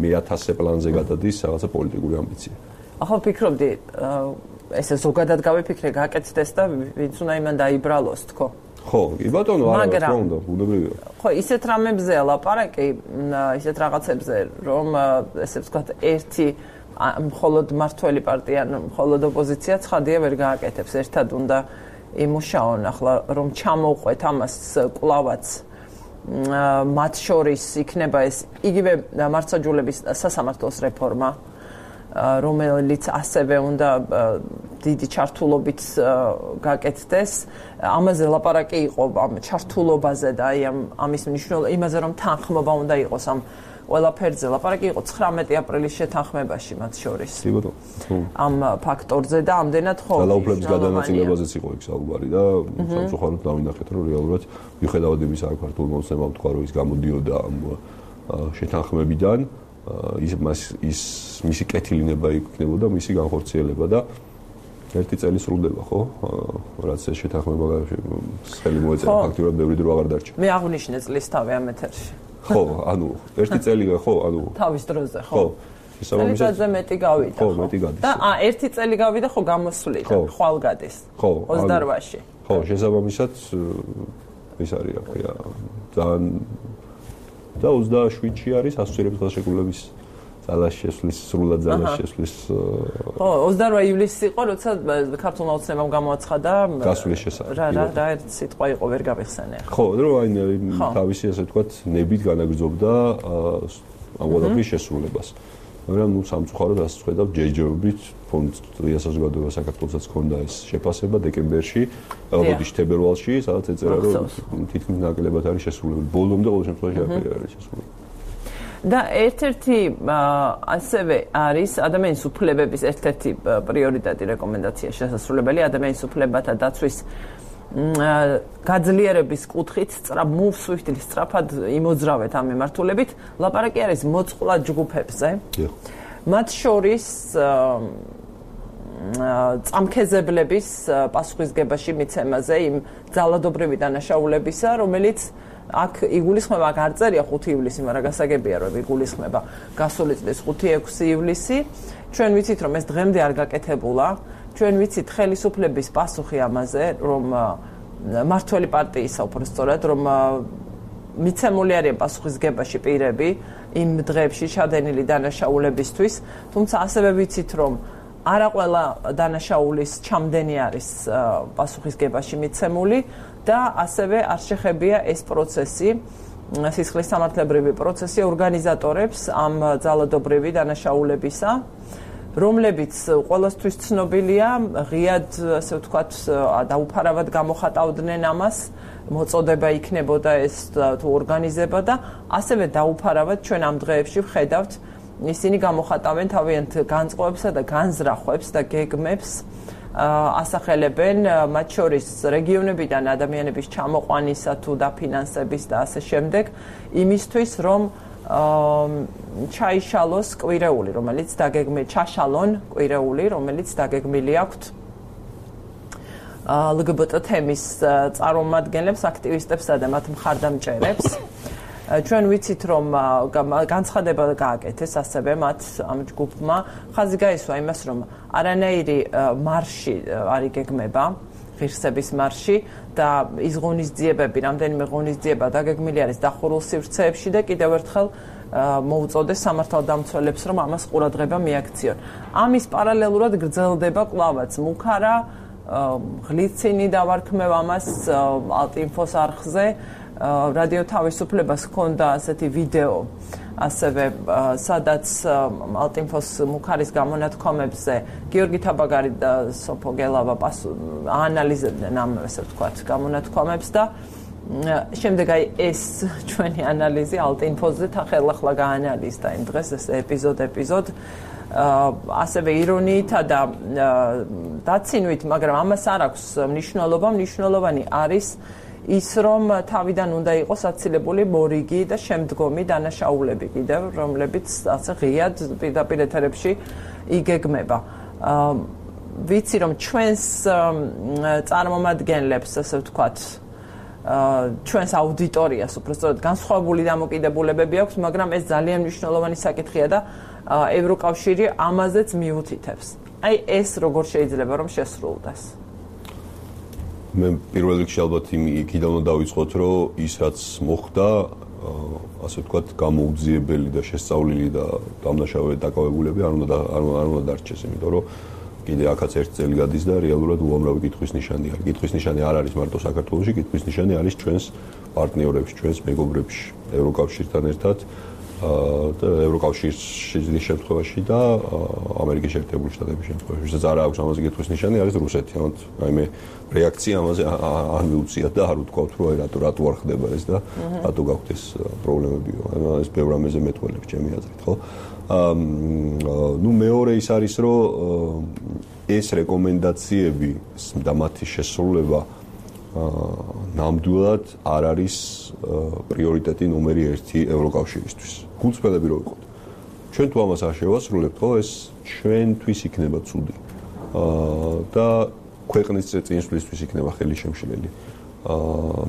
მეათასე პლანზე გადადის რაღაცა პოლიტიკური ამბიცია. ახლა ვფიქრობდი, ესე ზოგადად გავიფიქრე, გაკეთდეს და ვინც უნდა იმან დაიბრალოს, თქო. ხო, კი ბატონო, არა, რა უნდა, ბუნებრივია. ხო, ისეთ რამებზეა ლაპარაკი, ისეთ რაღაცებზე, რომ ესე ვთქვათ, ერთი მხოლოდ მართველი პარტია, მხოლოდ ოპოზიცია ცხადია ვერ გააკეთებს. ერთად უნდა იმუშაონ, ახლა რომ ჩამოვყვეთ ამას კლავაც მათ შორის იქნება ეს იგივე მართლმსაჯულების სასამართლოს რეფორმა, რომელიც ასევე უნდა დიდი ჩართულობით გაკეთდეს. ამაზე ლაპარაკი იყო ამ ჩართულობაზე და აი ამ ამის მნიშვნელობა იმაზე, რომ თანხმობა უნდა იყოს ამ ყველაფერზე. ლაპარაკი იყო ცხრამეტი აპრილის შეთანხმებაში მათ შორის. კი ბატონო. ამ ფაქტორზე და ამდენად ხო. ძალაუფლების გადანაწილებაზეც იყო იქ საუბარი და სამწუხაროდ დავინახეთ, რომ რეალურად მიუხედავად იმისა, რომ ქართულ მოსემამ თქვა, რომ ის გამოდიოდა ამ შეთანხმებიდან, ის ის მისი კეთილინება იქნებოდა, მისი განხორციელება და ერთი წელი სრულდება, ხო? რაც ეს შეთანხმება ხელი მოეწერა, ფაქტურად ბევრი დრო აღარ დარჩა. მე აღვნიშნე წლის თავი ამ ეთერში. ხო, ანუ ერთი წელი ხო, ანუ თავის დროზე, ხო. ხო. შესაბამისად მეტი გავიდა, ხო, მეტი გადის. და ა ერთი წელი გავიდა, ხო, გამოსვლიდა, ხვალ გადის. ხო, ოცდაოთხში. ხო, შესაბამისად ის არის, რა ქვია, ძალიან და ოცდაშვიდში არის ასოცირების ხელშეკრულების ძალას შესვლის, სრულად ძალას შესვლის. ხო, ოცდაოთხ ივლისი იყო, როცა ქართულმა ოცნებამ გამოაცხადა გასვლის შესახებ. რა რა რა ერთ სიტყვა იყო, ვერ გავიხსენე. ხო, რომ აი თავისი ასე ვთქვათ, ნებით განაგრძობდა ამ ყველაფრის შესრულებას. მაგრამ ნუ სამწუხაროდ ასე ვხედავ, ჯერჯერობით ფონდ დღესაც საზოგადოება საქართველოსაც ჰქონდა ეს შეფასება დეკემბერში, ალბათ თებერვალში, სადაც ეწერა, რომ თითქმის ნაკლებად არის შესრულებული. ბოლომდე ყოველ შემთხვევაში არ არის შესრულებული. და ერთ-ერთი ასევე არის ადამიანის უფლებების ერთ-ერთი პრიორიტეტი რეკომენდაცია შესასრულებელი ადამიანის უფლებათა დაცვის გაძლიერების კუთხით მოვსვით სწრაფად იმოძრავეთ ამ მიმართულებით. ლაპარაკი არის მოწყვლად ჯგუფებზე. მათ შორის წამქეზებლების პასუხისგებაში მიცემაზე იმ ძალადობრივი დანაშაულებისა, რომელიც აქ იგულისხმება, აქ არ წერია ხუთი ივლისი, მაგრამ გასაგებია, რომ იგულისხმება გასული წლის ხუთი ექვსი ივლისი. ჩვენ ვიცით, რომ ეს დღემდე არ გაკეთებულა. ჩვენ ვიცით ხელისუფლების პასუხი ამაზე, რომ მართველი პარტიისა უბრალოდ რომ მიცემული არიან პასუხისგებაში პირები იმ დღეებში ჩადენილი დანაშაულებისთვის, თუმცა ასევე ვიცით, რომ არა ყველა დანაშაულის ჩამდენი არის პასუხისგებაში მიცემული და ასევე არ შეხებია ეს პროცესი, სისხლის სამართლებრივი პროცესი ორგანიზატორებს ამ ძალადობრივი დანაშაულებისა, რომლებიც ყველასთვის ცნობილია, ღიად, ასე ვთქვათ, დაუფარავად გამოხატავდნენ ამას, მოწოდება იქნებოდა ეს თუ ორგანიზება და ასევე დაუფარავად ჩვენ ამ დღეებში ვხედავთ, ისინი გამოხატავენ თავიანთ განწყობებსა და განზრახვებს და გეგმებს, ასახელებენ მათ შორის რეგიონებიდან ადამიანების ჩამოყვანისა თუ დაფინანსების და ასე შემდეგ, იმისთვის, რომ ჩაიშალოს კვირეული, რომელიც დაგეგმილი, ჩაშალონ კვირეული, რომელიც დაგეგმილი აქვთ ლ გბ ტ თემის წარმომადგენლებს, აქტივისტებსა და მათ მხარდამჭერებს. ჩვენ ვიცით, რომ განცხადება გააკეთეს ასევე მათ ამ ჯგუფმა. ხაზი გაისვა იმას, რომ არანაირი მარში არ იგეგმება, ღირსების მარში და ის ღონისძიებები, რამდენიმე ღონისძიება დაგეგმილი არის დახურულ სივრცეებში და კიდევ ერთხელ მოუწოდეს სამართალდამცველებს, რომ ამას ყურადღება მიაქციონ. ამის პარალელურად გრძელდება კვლავაც მუქარა, ღლიცინი დავარქმევ ამას ალტინფოს არხზე. რადიო თავისუფლებას ჰქონდა ასეთი ვიდეო, ასევე სადაც ალტინფოს მუქარის გამონათქვამებზე გიორგი თაბაგარი და სოფო გელავა აანალიზებდნენ ამ, ასე ვთქვათ, გამონათქვამებს და შემდეგ აი ეს ჩვენი ანალიზი ალტინფოზე თანხელახლა გაანალიზდა იმ დღეს ეს ეპიზოდ ეპიზოდ ასევე ირონიითა და დაცინვით, მაგრამ ამას არ აქვს მნიშვნელობა, მნიშვნელოვანი არის ის, რომ თავიდან უნდა იყოს აცილებული მორიგი და შემდგომი დანაშაულები კიდევ, რომლებიც ასე ღიად პირდაპირ ეთერებში იგეგმება. ვიცი, რომ ჩვენს წარმომადგენლებს, ასე ვთქვათ, ჩვენს აუდიტორიას უბრალოდ განსხვავებული დამოკიდებულებები აქვს, მაგრამ ეს ძალიან მნიშვნელოვანი საკითხია და ევროკავშირი ამაზეც მიუთითებს. აი ეს როგორ შეიძლება რომ შესრულდეს? მე პირველ რიგში ალბათ იქიდან უნდა დავიწყოთ, რომ ის რაც მოხდა, ასე ვთქვათ, გამოუძიებელი და შესწავლილი და დამნაშავე დაკავებულები არ უნდა არ უნდა დარჩეს, იმიტომ რომ კიდე აქაც ერთ წელი გადის და რეალურად უამრავი კითხვის ნიშანი არის. კითხვის ნიშანი არ არის მარტო საქართველოში, კითხვის ნიშანი არის ჩვენს პარტნიორებში, ჩვენს მეგობრებში, ევროკავშირთან ერთად და ევროკავშირის შემთხვევაში და ამერიკის შეერთებული შტატების შემთხვევაში. ვისაც არ აქვს ამაზე კითხვის ნიშანი, არის რუსეთი. ანუ აი მე რეაქცია ამაზე არ მიუწიათ და არ ვთქვათ, რომ აი რატო რატო არ ხდება ეს და რატო გაქვთ ეს პრობლემები. ანუ ეს ბევრ ამაზე მეტყველებს ჩემი აზრით, ხო? ну მეორე ის არის, რომ ეს რეკომენდაციები და მათი შესრულება ნამდვილად არ არის პრიორიტეტი ნომერი ერთი ევროკავშირისთვის. გულწრფელები რო ვიყოთ. ჩვენ თუ ამას არ შევასრულებთ, ხო, ეს ჩვენთვის იქნება ცუდი. და ქვეყნის წინსვლისთვის იქნება ხელი შემშლელი.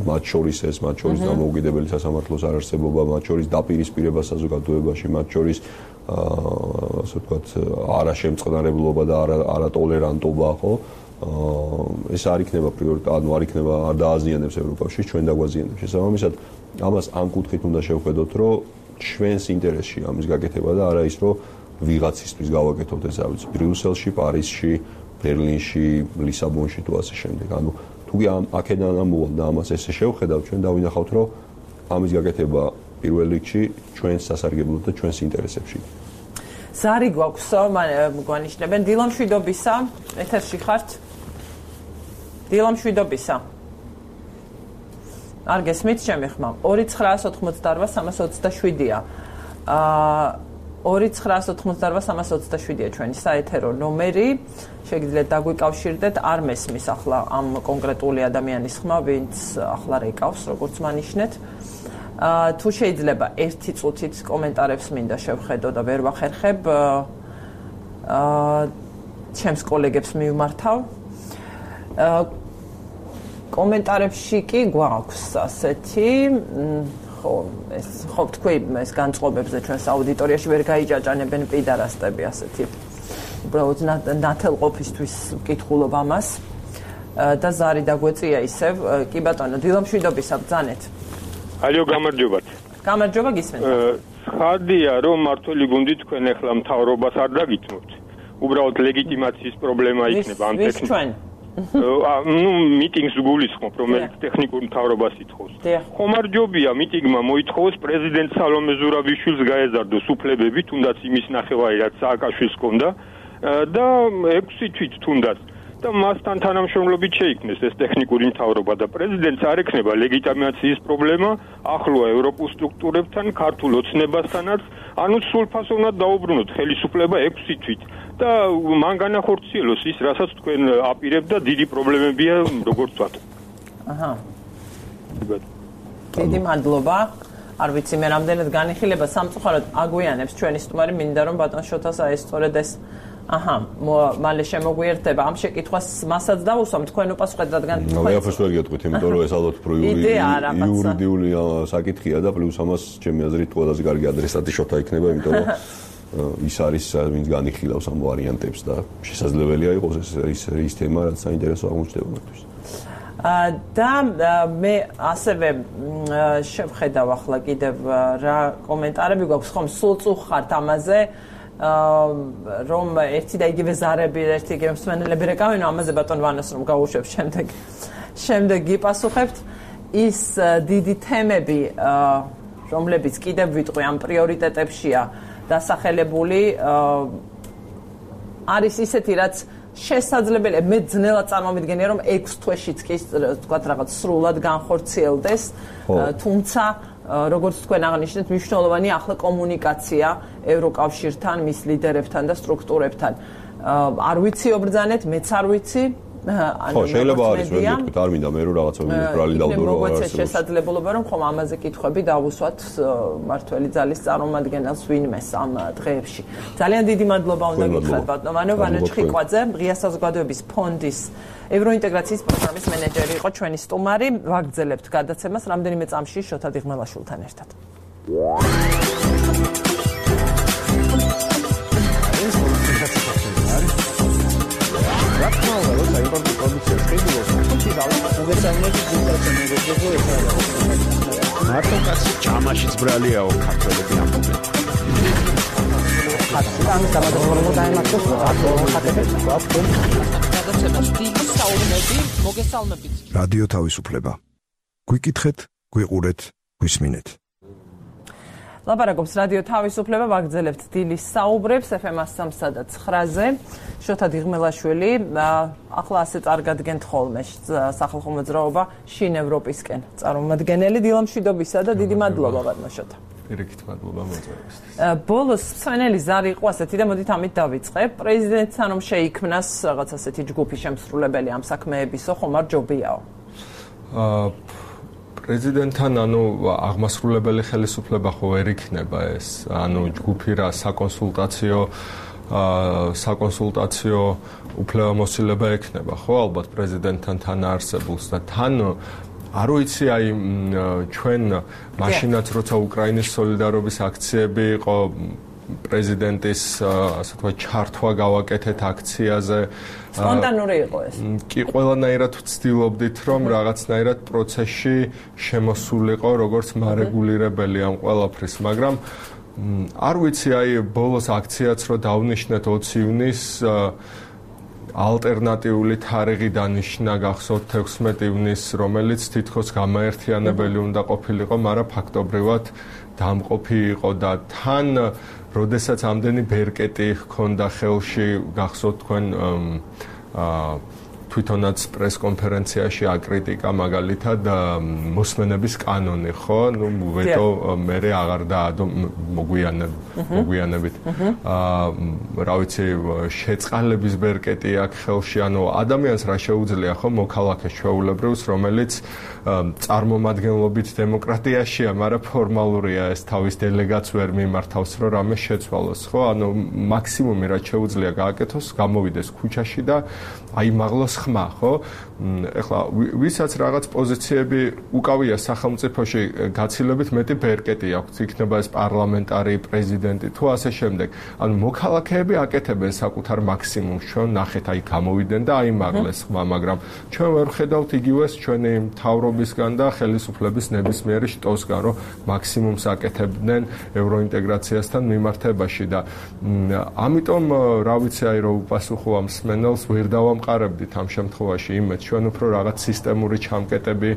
მათ შორის ეს, მათ შორის დამოუკიდებელი სასამართლოს არარსებობა, მათ შორის დაპირისპირება საზოგადოებაში, მათ შორის ასე ვთქვათ, არაშემწყნარებლობა და არატოლერანტობა, ხო? ეს არ იქნება პრიორიტეტი, ანუ არ იქნება არ დააზიანებს ევროკავშირს, ჩვენ დაგვაზიანებს. შესაბამისად, ამას ამ კუთხით უნდა შევხედოთ, რომ ჩვენს ინტერესში ამის გაკეთება და არა ის, რომ ვიღაცისთვის გავაკეთოთ ეს, ავიც ბრიუსელში, პარიზში, ბერლინში, ლისაბონში თუ ასე შემდეგ. ანუ თუ ამ აქედან ამოვალ და ამას ესე შევხედავთ, ჩვენ დავინახავთ, რომ ამის გაკეთება პირველ რიგში ჩვენს სასარგებლოდ და ჩვენს ინტერესებში. ზარი გვაქვს, გვანიშნებენ დილა მშვიდობისა, ეთერში ხართ? დილა მშვიდობისა. არ გესმით ჩემი ხმა? ორი ცხრაას ოთხმოცდაორვა სამას ოცდაშვიდია. აა ორი ცხრაას ოთხმოცდაორვა სამას ოცდაშვიდია ჩვენი საეთერო ნომერი. შეგიძლიათ დაგვიკავშირდეთ, არ მესმის ახლა ამ კონკრეტული ადამიანის ხმა, ვინც ახლა რეკავს, როგორც მანიშნეთ. Uh, თუ შეიძლება ერთი წუთით კომენტარებს მინდა შევხედო და ვერ ვახერხებ აა ჩემს კოლეგებს მივმართავ. აა კომენტარებში კი გვაქვს ასეთი ხო ეს ხო თქვი ეს განწყობებზე ჩვენს აუდიტორიაში ვერ გაიჭაჭანებენ პიდარასტები ასეთი. უბრალოდ ნათელყოფისთვის ვკითხულობ ამას და ზარი დაგვეწია ისევ. კი ბატონო, დილამშვიდობისა ბრძანეთ. ალო, გამარჯობათ. გამარჯობა, გისმენთ. ხარდია, რომ მართველი გუნდი თქვენ ახლა მთავრობას არ დაგითმოთ. უბრალოდ ლეგიტიმაციის პრობლემა იქნება ამ ტექნიკურ. ვის ჩვენ? ну მიტინგს გულისხმობ, რომელიც ტექნიკურ მთავრობას ითხოვს. ხომარჯობია მიტინგმა მოითხოვოს პრეზიდენტ სალომე ზურაბიშვილს გაეზარდოს უფლებები, თუნდაც იმის ნახევარი, რაც სააკაშვილს ჰქონდა და ექვსი თვით თუნდაც და მასთან თანამშრომლობით შეიქმნეს ეს ტექნიკური მთავრობა და პრეზიდენტს არ ექნება ლეგიტიმაციის პრობლემა ახლო ევროპულ სტრუქტურებთან, ქართულ ოცნებასთანაც, ანუ სრულფასოვნად დაუბრუნოთ ხელისუფლება ექვსი თვით და მან განახორციელოს ის, რასაც თქვენ აპირებთ და დიდი პრობლემებია როგორც ვთქვათ. აჰა. დიდი მადლობა. არ ვიცი მე რამდენად განიხილება სამწუხაროდ აგვიანებს ჩვენი სტუმარი, მინდა რომ ბატონ შოთას აი სწორედ ეს აჰა, მალე შემოგვიერთდება ამ შეკითხვას მასაც დავუსვამ თქვენ უპასუხეთ, რადგან თქვენ ვეაფერს ვერ გეტყვით, იმიტომ რომ ეს ალბათ იურიდიული საკითხია და პლუს ამას ჩემი აზრით ყველაზე კარგი ადრესატი შოთა იქნება, იმიტომ რომ ის არის ვინც განიხილავს ამ ვარიანტებს და შესაძლებელია იყოს ეს ის ის თემა, რაც საინტერესო აღმოჩნდება მათთვის. და მე ასევე შევხედავ ახლა კიდევ რა კომენტარები გვაქვს, ხომ სულ წუხართ ამაზე რომ ერთი და იგივე ზარები, ერთი იგივე მსმენელები რეკავენ, ამაზე ბატონ ვანას რომ გავუშვებ შემდეგ. შემდეგ გიპასუხებთ ის დიდი თემები, რომლებიც კიდევ ვიტყვი ამ პრიორიტეტებშია დასახელებული, არის ისეთი, რაც შესაძლებელია მე ძნელად წარმოვიდგენია რომ ექვს თვეშიც კი თქვათ რაღაც სრულად განხორციელდეს თუმცა როგორც თქვენ აღნიშნეთ მნიშვნელოვანია ახლა კომუნიკაცია ევროკავშირთან მის ლიდერებთან და სტრუქტურებთან არ ვიცი ობრძანეთ მეც არ ვიცი ხო შეიძლება არის ვერ გეტყვით არ მინდა მე რომ რაღაცა მინიტრალი დავდო რომ არ არის შესაძლებლობა რომ ხომ ამაზე კითხვები დავუსვათ მართველი ძალის წარმომადგენელს ვინმეს ამ დღეებში ძალიან დიდი მადლობა უნდა გითხრათ ბატონო ვანო ჩხიკვაძე ღია საზოგადოების ფონდის ევროინტეგრაციის პროგრამის მენეჯერი იყო ჩვენი სტუმარი ვაგრძელებთ გადაცემას რამდენიმე წამში შოთა დიღმელაშვილთან ერთად Importul producției scribilor, უგეცანები მარტო კაცი ჭამაშიც ბრალიაო ქართველები ამბობენ. ხატი დამადრობრობა დაემართოს ხატებს გვაქვს. გადაცემას დიდი საუბნები მოგესალმებით. რადიო თავისუფლება. გვიკითხეთ, გვიყურეთ, გვისმინეთ. ლაპარაკობს რადიო თავისუფლება ვაგრძელებთ დილის საუბრებს ეფ ემ სამსა და ცხრაზე შოთა დიღმელაშვილი ახლა ასე წარგადგენთ ხოლმე სახალხო მოძრაობა შინ ევროპისკენ წარმომადგენელი დილამშვიდობისა და დიდი მადლობა ბატონო შოთა პირიქით მადლობა მოწვევისთვის ბოლოს მსვენელი ზარი იყო ასეთი და მოდით ამით დავიწყებ პრეზიდენტთან რომ შეიქმნას რაღაც ასეთი ჯგუფი შემსრულებელი ამ საქმეებისო ხომ არ ჯობიაო აა პრეზიდენტთან ანუ აღმასრულებელი ხელისუფლება ხო ვერ იქნება ეს ანუ ჯგუფი რა საკონსულტაციო საკონსულტაციო უფლებამოსილება ექნება ხო ალბათ პრეზიდენტთან თან არსებულს და თან არ ვიცი აი ჩვენ მაშინაც როცა უკრაინის სოლიდარობის აქციები იყო პრეზიდენტის ასე თქვა ჩართვა გავაკეთეთ აქციაზე სპონტანური იყო ეს. კი ყველანაირად ვცდილობდით რომ რაღაცნაირად პროცესში შემოსულიყო როგორც მარეგულირებელი ამ ყველაფრის, მაგრამ არ ვიცი აი ბოლოს აქციაც რო დავნიშნეთ ოცი ივნისს ალტერნატიული თარიღი დანიშნა გახსოვთ თექვსმეტი ივნისს რომელიც თითქოს გამაერთიანებელი უნდა ყოფილიყო, მაგრამ ფაქტობრივად დამყოფი იყო და თან როდესაც ამდენი ბერკეტი ჰქონდა ხელში გახსოვთ თქვენ აა თვითონაც პრესკონფერენციაში აკრიტიკა მაგალითად მოსმენების კანონი ხო ნუ ვეტო მერე აღარ დაადო მოგვიანებ მოგვიანებით აა რა ვიცი შეწყალების ბერკეტი აქ ხელში ანუ ადამიანს რა შეუძლია ხო მოქალაქეს ჩვეულებრივს რომელიც წარმომადგენლობით დემოკრატიაშია მაგრამ ფორმალურია ეს თავის დელეგატს ვერ მიმართავს რომ რამე შეცვალოს ხო ანუ მაქსიმუმი რაც შეუძლია გააკეთოს გამოვიდეს ქუჩაში და აიმაღლოს ხმა ხო ეხლა ვისაც რაღაც პოზიციები უკავია სახელმწიფოში გაცილებით მეტი ბერკეტი აქვს იქნება ეს პარლამენტარი პრეზიდენტი თუ ასე შემდეგ ანუ მოქალაქეები აკეთებენ საკუთარ მაქსიმუმს ჩვენ ნახეთ აი გამოვიდნენ და აიმაღლეს ხმა მაგრამ ჩვენ ვერ ხედავთ იგივეს ჩვენი მთავრობისგან და ხელისუფლების ნებისმიერი შტოსგან რომ მაქსიმუმს აკეთებდნენ ევროინტეგრაციასთან მიმართებაში და ამიტომ რა ვიცი აი რომ უპასუხო ამ სმენელს ვერ დავამყარებდით ამ შემთხვევაში იმეც ჩვენ უფრო რაღაც სისტემური ჩამკეტები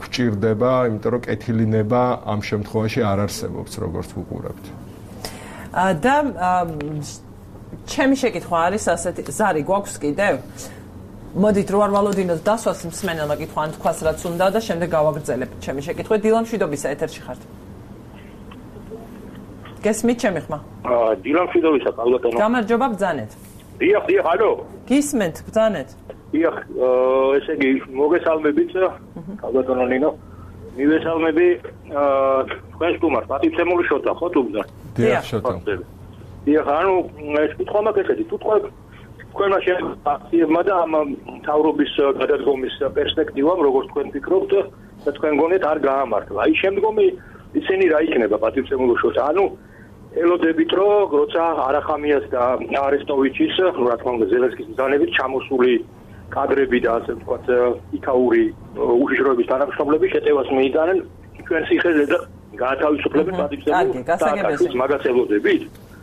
გვჭირდება, იმიტომ რომ კეთილინება ამ შემთხვევაში არ არსებობს, როგორც ვუყურებთ. და ჩემი შეკითხვა არის ასეთი, ზარი გვაქვს კიდევ? მოდით რო არ ვალოდინოთ დასვას მსმენელმა კითხვა, ან თქვას რაც უნდა და შემდეგ გავაგრძელებთ ჩემი შეკითხვა. დილამშვიდობისა ეთერში ხართ. გესმით ჩემი ხმა? აა დილამშვიდობისა კალბატონო. გამარჯობა ბრძანეთ. დიახ, დიახ, ალო. გისმენთ ბრძანეთ. დიახ, ესე იგი მოგესალმებით, კალბატონო ნინო. მივესალმები აა თქვენს სტუმარს, პატივცემული შოთა, ხო თუ ბრძან? დიახ, შოთა. დიახ, ანუ ეს კითხვა მაქვს ესეთი, თუ თქვენ თქვენმა შეახება და ამ თავრობის გადადგომის პერსპექტივამ, როგორც თქვენ ფიქრობთ და თქვენ გონიათ არ გაამართლა. აი შემდგომი ისინი რა იქნება პატივცემული შოთა? ანუ ელოდებით რომ როცა არახამიას და არესტოვიჩის, რა თქმა უნდა ზელენსკის ბრძანებით ჩამოსული კადრები და ასე ვთქვათ იქაური უშიშროების თანამშრომლები შეტევას მიიტანენ ჩვენ სიხეზე და გაათავისუფლებენ პატივცემულ და მაგას ელოდებით.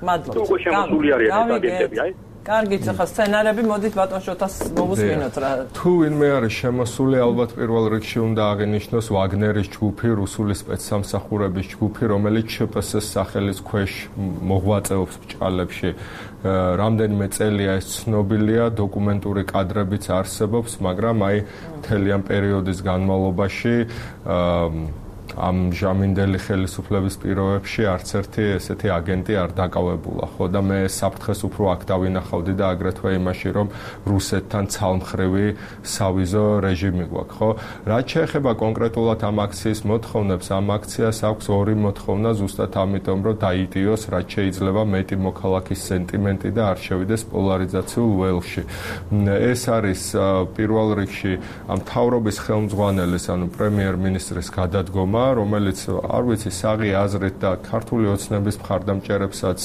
მადლობა. თუ უკვე შემოსული არიან ეს აგენტები, აი კარგით, ახლა სცენარები მოდით ბატონ შოთას მოვუსმინოთ რა. თუ ვინმე არის შემოსული, ალბათ პირველ რიგში უნდა აღინიშნოს ვაგნერის ჯგუფი, რუსული სპეცსამსახურების ჯგუფი, რომელიც ჩპს-ის სახელის ქვეშ მოღვაწეობს ბჭყალებში. რამდენიმე წელია ეს ცნობილია, დოკუმენტური კადრებიც არსებობს, მაგრამ აი მთელი ამ პერიოდის განმავლობაში ამ ჟამინდელი ხელისუფლების პირობებში არც ერთი ესეთი აგენტი არ დაკავებულა, ხო და მე საფრთხეს უფრო აქ დავინახავდი და აგრეთვე იმაში, რომ რუსეთთან ცალმხრივი სავიზო რეჟიმი გვაქვს, ხო? რაც შეეხება კონკრეტულად ამ აქციის მოთხოვნებს, ამ აქციას აქვს ორი მოთხოვნა ზუსტად ამიტომ, რომ დაიტიოს, რაც შეიძლება მეტი მოქალაქის სენტიმენტი და არ შევიდეს პოლარიზაციულ ველში. ეს არის პირველ რიგში ამ მთავრობის ხელმძღვანელის, ანუ პრემიერ-მინისტრის გადადგომა, რომელიც არ ვიცი საღი აზრით და ქართული ოცნების მხარდამჭერებსაც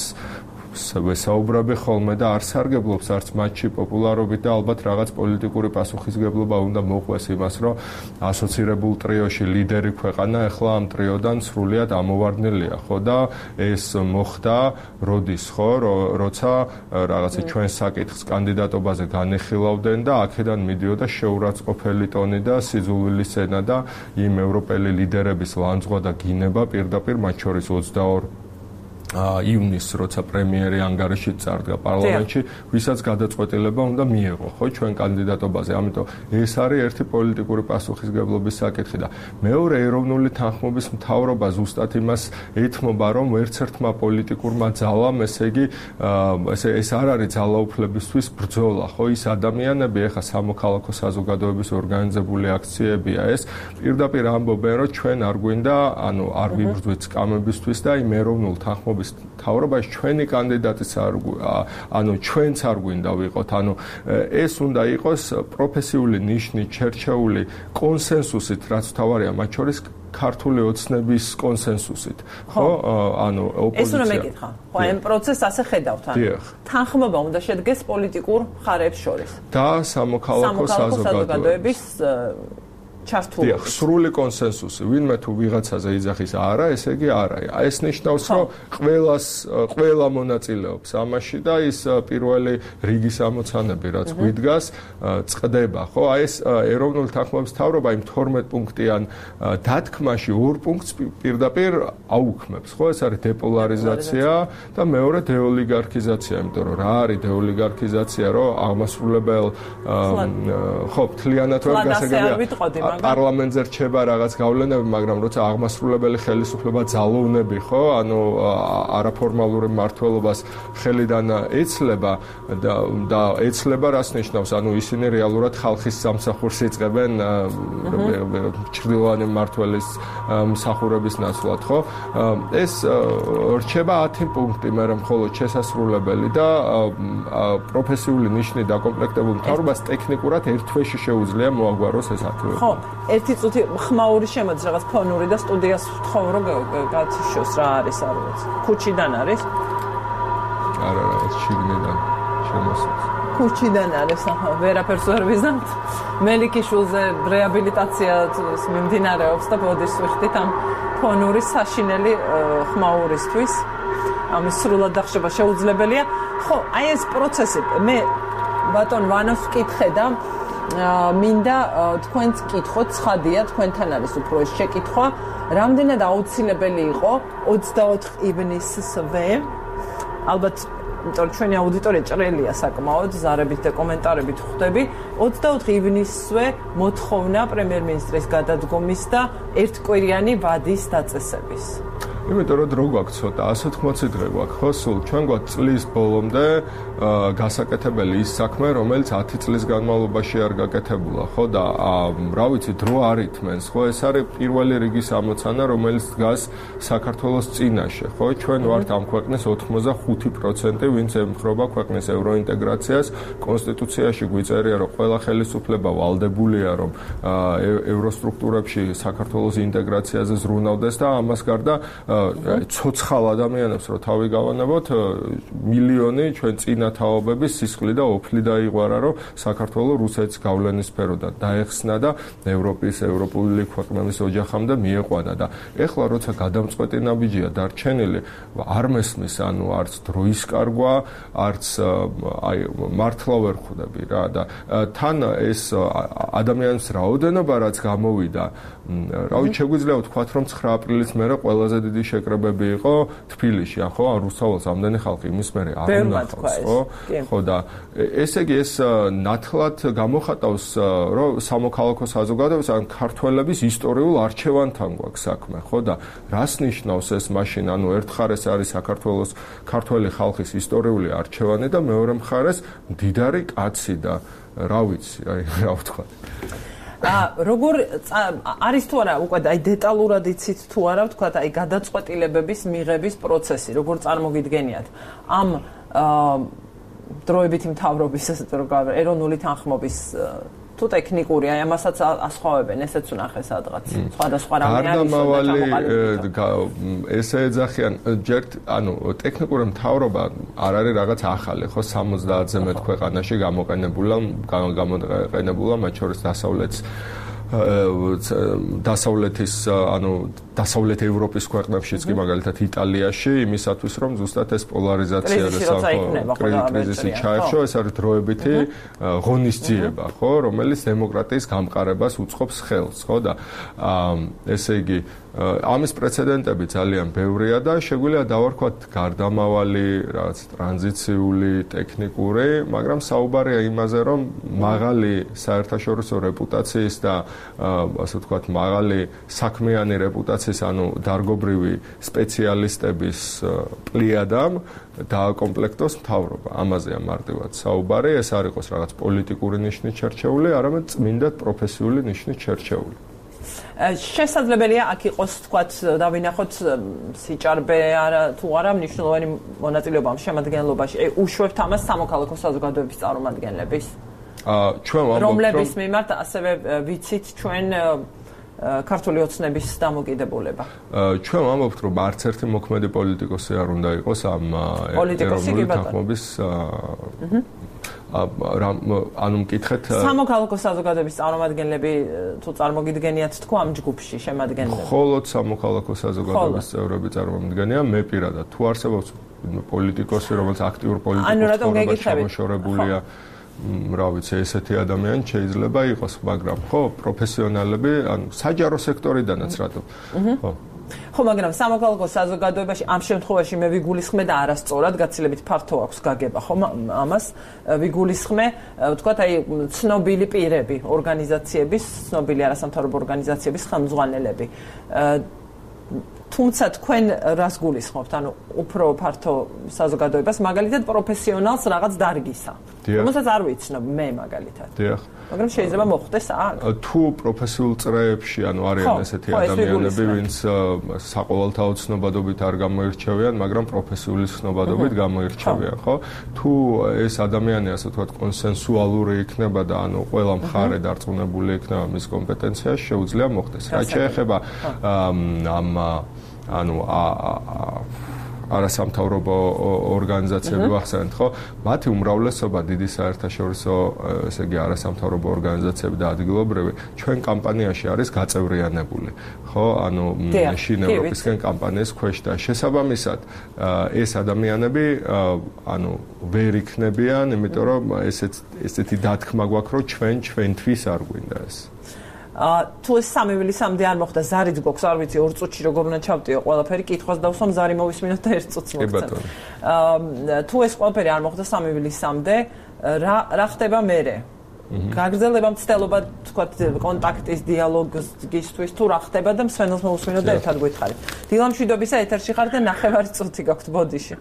ვესაუბრები ხოლმე და არ სარგებლობს არც მათში პოპულარობით და ალბათ რაღაც პოლიტიკური პასუხისგებლობა უნდა მოყვეს იმას, რომ ასოცირებულ ტრიოში ლიდერი ქვეყანა ახლა ამ ტრიოდან სრულიად ამოვარდნილია, ხო და ეს მოხდა როდის, ხო, როცა რაღაცა ჩვენ საკითხს კანდიდატობაზე განეხილავდნენ და აქედან მიდიოდა შეურაცხყოფელი ტონი და სიძულვილის ენა და იმ ევროპელი ლიდერების ლანძღვა და გინება პირდაპირ მათ შორის ოცდაორი ივნისს, როცა პრემიერი ანგარიში წარდგა პარლამენტში, ვისაც გადაწყვეტილება უნდა მიეღო, ხო, ჩვენ კანდიდატობაზე. ამიტომ ეს არის ერთი პოლიტიკური პასუხისგებლობის საკითხი და მეორე ეროვნული თანხმობის მთავრობა ზუსტად იმას ეთმობა, რომ ვერცერთმა პოლიტიკურმა ძალამ, ესე იგი, ესე ეს არ არის ძალაუფლებისთვის ბრძოლა, ხო, ის ადამიანები, ეხა სამოქალაქო საზოგადოების ორგანიზებული აქციებია ეს, პირდაპირ ამბობენ, რომ ჩვენ არ გვინდა, ანუ არ ვიბრძვით სკამებისთვის და იმ ეროვნულ თანხმობის თავრობაში ჩვენი კანდიდატიც არ ანუ ჩვენც არ გვინდა ვიყოთ, ანუ ეს უნდა იყოს პროფესიული ნიშნით შერჩეული კონსენსუსით, რაც თავარია მათ შორის ქართული ოცნების კონსენსუსით, ხო? ანუ ოპოზიცია. ეს უნდა მეკითხა. ხო, ამ პროცესს ასე ხედავთ, ანუ თანხმობა უნდა შედგეს პოლიტიკურ მხარეებს შორის და სამოქალაქო საზოგადოების ჩართული. დიახ, სრული კონსენსუსი. ვინმე თუ ვიღაცაზე იძახის არა, ესე იგი არაა. ეს ნიშნავს, რომ ყველას ყველა მონაწილეობს ამაში და ის პირველი რიგის ამოცანები, რაც გვიდგას, წყდება, ხო? აი ეს ეროვნული თანხმობის მთავრობა იმ თორმეტ პუნქტიან დათქმაში ორ პუნქტს პირდაპირ აუქმებს, ხო? ეს არის დეპოლარიზაცია და მეორე დეოლიგარქიზაცია, იმიტომ რომ რა არის დეოლიგარქიზაცია, რომ აღმასრულებელ ხო, მთლიანად ვერ გასაგებია პარლამენტზე რჩება რაღაც გავლენები, მაგრამ როცა აღმასრულებელი ხელისუფლება ძალოვნები, ხო, ანუ არაფორმალური მმართველობას ხელიდან ეცლება და და ეცლება რას ნიშნავს? ანუ ისინი რეალურად ხალხის სამსახურს იწყებენ ჩრდილოვანი მმართველის მსახურების ნაცვლად, ხო? ეს რჩება ათი პუნქტი, მაგრამ მხოლოდ შესასრულებელი და პროფესიული ნიშნით დაკომპლექტებულ მთავრობას ტექნიკურად ერთ თვეში შეუძლია მოაგვაროს ეს ათი. ხო, ერთი წუთი ხმაური შემოდის რაღაც ფონური და სტუდიას ვთხოვ რომ გათიშოს რა არის, არ ვიცი. ქუჩიდან არის? არა, რაღაც შიგნიდან შემოსულს. ქუჩიდან არის, ახლა ვერაფერს ვერ ვიზამთ. მელიქიშვილზე რეაბილიტაცია მიმდინარეობს და ბოდის ვიხდით ამ ფონური საშინელი ხმაურისთვის. ამის სრულად დახშება შეუძლებელია. ხო, აი ეს პროცესი მე ბატონ ვანოს ვკითხე და მინდა თქვენც კითხოთ, ცხადია, თქვენთან არის უფრო ეს შეკითხვა, რამდენად აუცილებელი იყო ოცდაოთხ ივნისსვე, ალბათ, იმიტომ რომ ჩვენი აუდიტორია ჭრელია საკმაოდ, ზარებით და კომენტარებით ხვდები, ოცდაოთხ ივნისსვე მოთხოვნა პრემიერ-მინისტრის გადადგომის და ერთკვირიანი ვადის დაწესების. იმიტომ რომ დრო გვაქვს ცოტა, one hundred eighty დღე გვაქვს, ხო, სულ ჩვენ გვაქვს წლის ბოლომდე გასაკეთებელი ის საქმე, რომელიც ათი წლის განმავლობაში არ გაკეთებულა, ხო და რა ვიცი, დრო არ ითმენს, ხო, ეს არის პირველი რიგის ამოცანა, რომელიც დგას საქართველოს წინაშე, ხო, ჩვენ ვართ ამ ქვეყნის ოცდახუთი პროცენტი, ვინც ემხრობა ქვეყნის ევროინტეგრაციას, კონსტიტუციაში გვიწერია, რომ ყველა ხელისუფლება ვალდებულია, რომ ევროსტრუქტურებში საქართველოს ინტეგრაციაზე ზრუნავდეს და ამას გარდა ცოცხალ ადამიანებს რო თავი გავანებოთ, მილიონი ჩვენ წინა თაობების სისხლი და ოფლი დაიღვარა, რომ საქართველოს რუსეთს გავლენის სფეროდან დაეხსნა და ევროპის ევროპული ქვეყნების ოჯახამდე მიეყვანა და ეხლა როცა გადამწყვეტი ნაბიჯია დარჩენილი, არ მესმის, ანუ არც დროის კარგვა, არც აი მართლა ვერ ხვდები რა და თან ეს ადამიანის რაოდენობა რაც გამოვიდა, რა ვიცი, შეგვიძლია ვთქვათ, რომ ცხრა აპრილის მერე ყველაზე დიდი შეკრებები იყო თბილისში, ხო, ან რუსთაველს ამდენი ხალხი იმის მერე არ უნახავს, ხო? ხო და ესე იგი ეს ნათლად გამოხატავს, რომ სამოქალაქო საზოგადოებას ან ქართველების ისტორიულ არჩევანთან გვაქვს საქმე, ხო და რას ნიშნავს ეს მაშინ, ანუ ერთ მხარეს არის საქართველოს ქართველი ხალხის ისტორიული არჩევანი და მეორე მხარეს მდიდარი კაცი და რა ვიცი, აი რა ვთქვათ. ა როგორ არის თუ არა უკვე აი დეტალურად იცით თუ არა ვთქვათ აი გადაწყვეტილებების მიღების პროცესი როგორ წარმოგიდგენიათ ამ დროებითი მთავრობის ესე რომ ეროვნული თანხმობის თუ ტექნიკური აი ამასაც ასხვავებენ ესეც უნახე სადღაც სხვადასხვა რამე არის ესე ეძახიან ჯერ ანუ ტექნიკური მთავრობა არ არის რაღაც ახალი ხო სამოცდაათზე მეტ ქვეყანაში გამოყენებულა გამოყენებულა მათ შორის დასავლეთს დასავლეთის ანუ დასავლეთ ევროპის ქვეყნებშიც კი მაგალითად იტალიაში იმისათვის რომ ზუსტად ეს პოლარიზაცია და კრიზისი ჩაეხშო ეს არის დროებითი ღონისძიება ხო რომელიც დემოკრატიის გამყარებას უწყობს ხელს ხო და ესე იგი ამის პრეცედენტები ძალიან ბევრია და შეგვიძლია დავარქვათ გარდამავალი რაღაც ტრანზიციული ტექნიკური მაგრამ საუბარია იმაზე რომ მაღალი საერთაშორისო რეპუტაციის და ასე ვთქვათ მაღალი საქმიანი რეპუტაციის ანუ დარგობრივი სპეციალისტების პლიადამ დააკომპლექტოს მთავრობა. ამაზეა მარტივად საუბარი, ეს არ იყოს რაღაც პოლიტიკური ნიშნით შერჩეული, არამედ წმინდად პროფესიული ნიშნით შერჩეული. შესაძლებელია აქ იყოს თქვათ დავინახოთ სიჭარბე არა თუ არა მნიშვნელოვანი მონაწილეობა ამ შემადგენლობაში. უშვებთ ამას სამოქალაქო საზოგადოების წარმომადგენლების? აა ჩვენ ვამბობთ რომლების მიმართ ასევე ვიცით ჩვენ ქართული ოცნების დამოკიდებულება. ჩვენ ვამბობთ რომ არც ერთი მოქმედი პოლიტიკოსი არ უნდა იყოს ამ ეროვნული თანხმობის ანუ მკითხეთ სამოქალაქო საზოგადოების წარმომადგენლები თუ წარმოგიდგენიათ თქო ამ ჯგუფში შემადგენლები. მხოლოდ სამოქალაქო საზოგადოების წევრები წარმომადგენია მე პირადად თუ არსებობს პოლიტიკოსი რომელიც აქტიურ პოლიტიკურ ცხოვრებაში ჩამოშორებულია რა ვიცი ესეთი ადამიანი შეიძლება იყოს მაგრამ ხო პროფესიონალები ანუ საჯარო სექტორიდანაც რატო ხო ხო მაგრამ სამოქალაქო საზოგადოებაში ამ შემთხვევაში მე ვიგულისხმე და არასწორად გაცილებით ფართო აქვს გაგება ხო ამას ვიგულისხმე ვთქვათ აი ცნობილი პირები ორგანიზაციების ცნობილი არასამთავრობო ორგანიზაციების ხელმძღვანელები თუმცა თქვენ რას გულისხმობთ ანუ უფრო ფართო საზოგადოებას მაგალითად პროფესიონალს რაღაც დარგისა რომელსაც არ ვიცნობ მე მაგალითად დიახ მაგრამ შეიძლება მოხდეს აქ თუ პროფესიულ წრეებში ანუ არიან ესეთი ადამიანები ვინც საყოველთაო ცნობადობით არ გამოირჩევიან მაგრამ პროფესიული ცნობადობით გამოირჩევიან ხო თუ ეს ადამიანი ასე ვთქვათ კონსენსუალური იქნება და ანუ ყველა მხარე დარწმუნებული იქნება მის კომპეტენციაში შეუძლია მოხდეს რაც შეეხება ამ ანუ არასამთავრობო ორგანიზაციები ვახსენეთ, ხო? მათი უმრავლესობა დიდი საერთაშორისო, ესე იგი, არასამთავრობო ორგანიზაციები და ადგილობრივი ჩვენ კამპანიაში არის გაწევრიანებული, ხო? ანუ შინ ევროპისკენ კამპანიის ქვეშ და შესაბამისად ეს ადამიანები ანუ ვერ იქნებიან, იმიტომ რომ ესეც ესეთი დათქმა გვაქვს, რომ ჩვენ ჩვენთვის არ გვინდა ეს. თუ ეს სამი ივლისამდე არ მოხდა ზარიც გვაქვს არ ვიცი ორ წუთში როგორ უნდა ჩავტიო ყველაფერი კითხვას დავსვამ ზარი მოვისმინოთ და ერთ წუთს მოგცემ. თუ ეს ყველაფერი არ მოხდა სამი ივლისამდე რა რა ხდება მერე? გაგრძელება მცდელობა თქვათ კონტაქტის დიალოგისთვის თუ რა ხდება და მსვენელს მოვისმინოთ და ერთად გვითხარით. დილამშვიდობისა ეთერში ხარ და ნახევარი წუთი გაქვთ ბოდიში.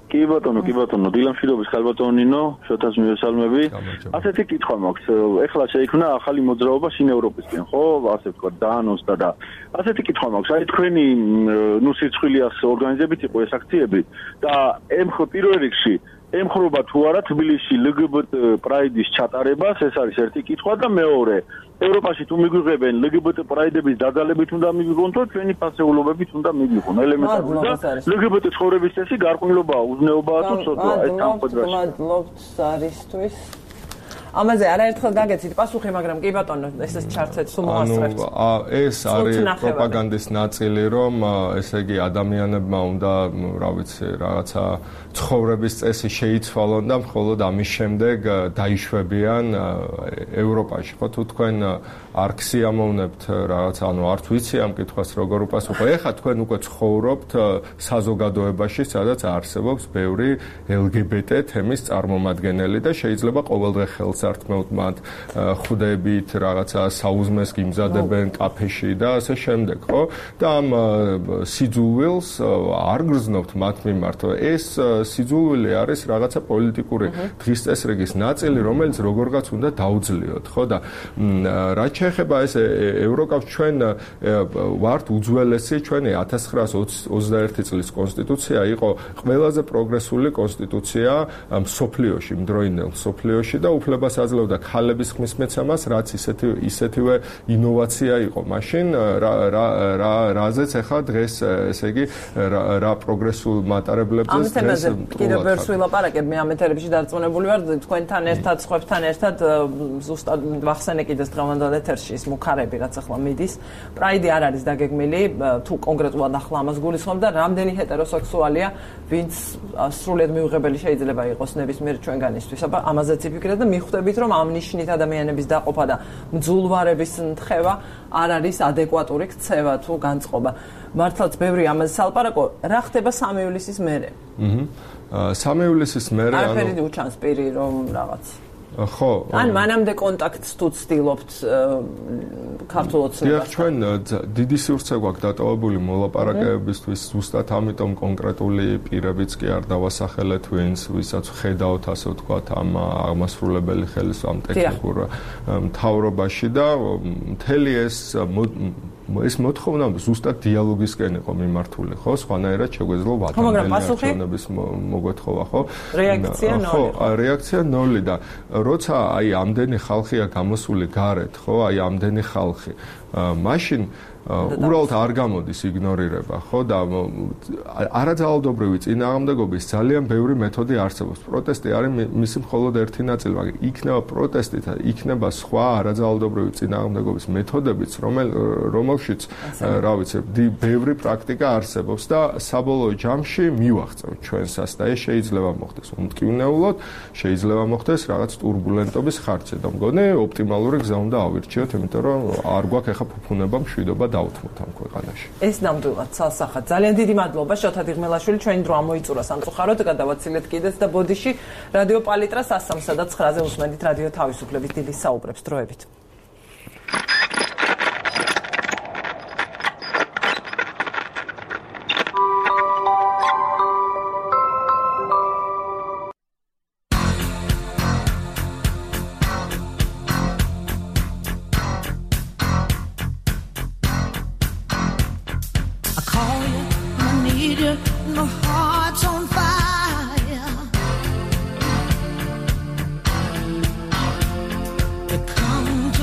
კი ბატონო, კი ბატონო, დილამშვიდობის ხალბატონინო, შოთას მივესალმები. ასეთი კითხვა მაქვს. ეხლა შეიქმნა ახალი მოძრაობა შინ ევროპისკენ, ხო? ასე ვთქვათ, დაანონსდა და ასეთი კითხვა მაქვს. აი თქვენი ნუ სიცხვილიას ორგანიზებით იყო ეს აქციები და ემხ პირველ რიგში ემხრობა თუ არა თბილისში ლგბტ პრაიდის ჩატარებას, ეს არის ერთი კითხვა და მეორე ევროპაში თუ მიგვიღებენ ლგბტ პრაიდების დადალებით უნდა მიგვიღონ თუ ჩვენი ფასეულობებით უნდა მიგვიღონ ელემენტარული და ლგბტ ცხოვრების წესი გარყვნილობაა უზნეობაა თუ ცოტა ეს სამხედროში მადლობთ არისთვის ამაზე არაერთხელ გაგეცით პასუხი, მაგრამ კი ბატონო, ესეც ჩარცეთ, სულ მოასწრებთ. ანუ ეს არის პროპაგანდის ნაწილი, რომ ესე იგი ადამიანებმა უნდა, რა ვიცი, რაღაცა ცხოვრების წესი შეიცვალონ და მხოლოდ ამის შემდეგ დაიშვებიან ევროპაში. ხო, თუ თქვენ არ ქსიამოვნებთ რაღაცა, ანუ არ ვიცი ამ კითხვას როგორ უპასუხო. ეხლა თქვენ უკვე ცხოვრობთ საზოგადოებაში, სადაც არსებობს ბევრი ელგბტ თემის წარმომადგენელი და შეიძლება ყოველდღე ხელს ართმევთ მათ ხუდებით რაღაცა საუზმეს გიმზადებენ კაფეში და ასე შემდეგ, ხო? და ამ სიძულვილს არ გრძნობთ მათ მიმართ. ეს სიძულვილი არის რაღაცა პოლიტიკური დღის წესრიგის ნაწილი, რომელიც როგორღაც უნდა დაუძლიოთ, ხო? და რაც შეეხება ეს ევროკავშირს, ჩვენ ვართ უძველესი, ჩვენი ათას ცხრაასი ოცდაერთი წლის კონსტიტუცია იყო ყველაზე პროგრესული კონსტიტუცია მსოფლიოში, მდროინდელ მსოფლიოში და უფლებას აძლევდა ქალების ხმის მეცემას, რაც ისეთი ისეთივე ინოვაცია იყო მაშინ, რა რა რა რაზეც ახლა დღეს ესე იგი რა პროგრესულ მატარებლებზე დღეს კიდევ ვერ ვილაპარაკებ, მე ამ ეთერებში დარწმუნებული ვარ, თქვენთან ერთად, სხვებთან ერთად ზუსტად ვახსენე კიდეს დღევანდელ ეთერში ის მუქარები, რაც ახლა მიდის. პრაიდი არ არის დაგეგმილი, თუ კონკრეტულად ახლა ამას გულისხმობ და რამდენი ჰეტეროსექსუალია, ვინც სრულიად მიუღებელი შეიძლება იყოს ნებისმიერ ჩვენგანისთვის. აბა ამაზეც იფიქრეთ და მიხვდებით, რომ ამ ნიშნით ადამიანების დაყოფა და მძულვარების თხევა არ არის ადეკვატური ქცევა თუ განწყობა. მართლაც ბევრი ამაზე სალაპარაკო, რა ხდება სამი ივლისის მერე? აჰა. სამი ივლისის მერე ანუ არაფერი უჩანს პირი რომ რაღაც ხო. ან მანამდე კონტაქტს თუ ცდილობთ ქართულ ოცნებას. დიახ, ჩვენ დიდი სივრცე გვაქვს დატოვებული მოლაპარაკებებისთვის, ზუსტად ამიტომ კონკრეტული პირებიც კი არ დავასახელეთ, ვინც ვისაც ხედავთ, ასე ვთქვათ, ამ აღმასრულებელი ხელისუფლების ტექნიკურ მთავრობაში და მთელი ეს ეს მოთხოვნა ზუსტად დიალოგისკენ იყო მიმართული, ხო? სხვანაირად შეგვეძლო ადამიანების მოგვეთხოვა, ხო? რეაქცია ნოლი. ხო, რეაქცია ნოლი და როცა აი ამდენი ხალხია გამოსული გარეთ, ხო? აი ამდენი ხალხი. მაშინ უბრალოდ არ გამოდის იგნორირება, ხო? და არაძალადობრივი წინააღმდეგობის ძალიან ბევრი მეთოდი არსებობს. პროტესტი არის მისი მხოლოდ ერთი ნაწილი, მაგრამ იქნება პროტესტი და იქნება სხვა არაძალადობრივი წინააღმდეგობის მეთოდებიც, რომელშიც, რა ვიცი, ბევრი პრაქტიკა არსებობს და საბოლოო ჯამში მივახცევთ ჩვენსას და ეს შეიძლება მოხდეს უმტკივნეულოდ, შეიძლება მოხდეს რაღაც ტურბულენტობის ხარჯზე და მგონი ოპტიმალური გზა უნდა ავირჩიოთ, იმიტომ რომ არ გვაქვს ახლა ფუფუნება მშვიდობა დავუთმოთ ამ ქვეყანაში. ეს ნამდვილად ცალსახად. ძალიან დიდი მადლობა შოთა დიღმელაშვილი, ჩვენი დრო ამოიწურა სამწუხაროდ, გადავაცილეთ კიდეც და ბოდიში რადიო პალიტრა სასამსა და ცხრაზე უსმენთ რადიო თავისუფლების დილის საუბრებს დროებით. Come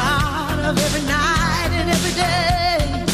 part of every night and every day.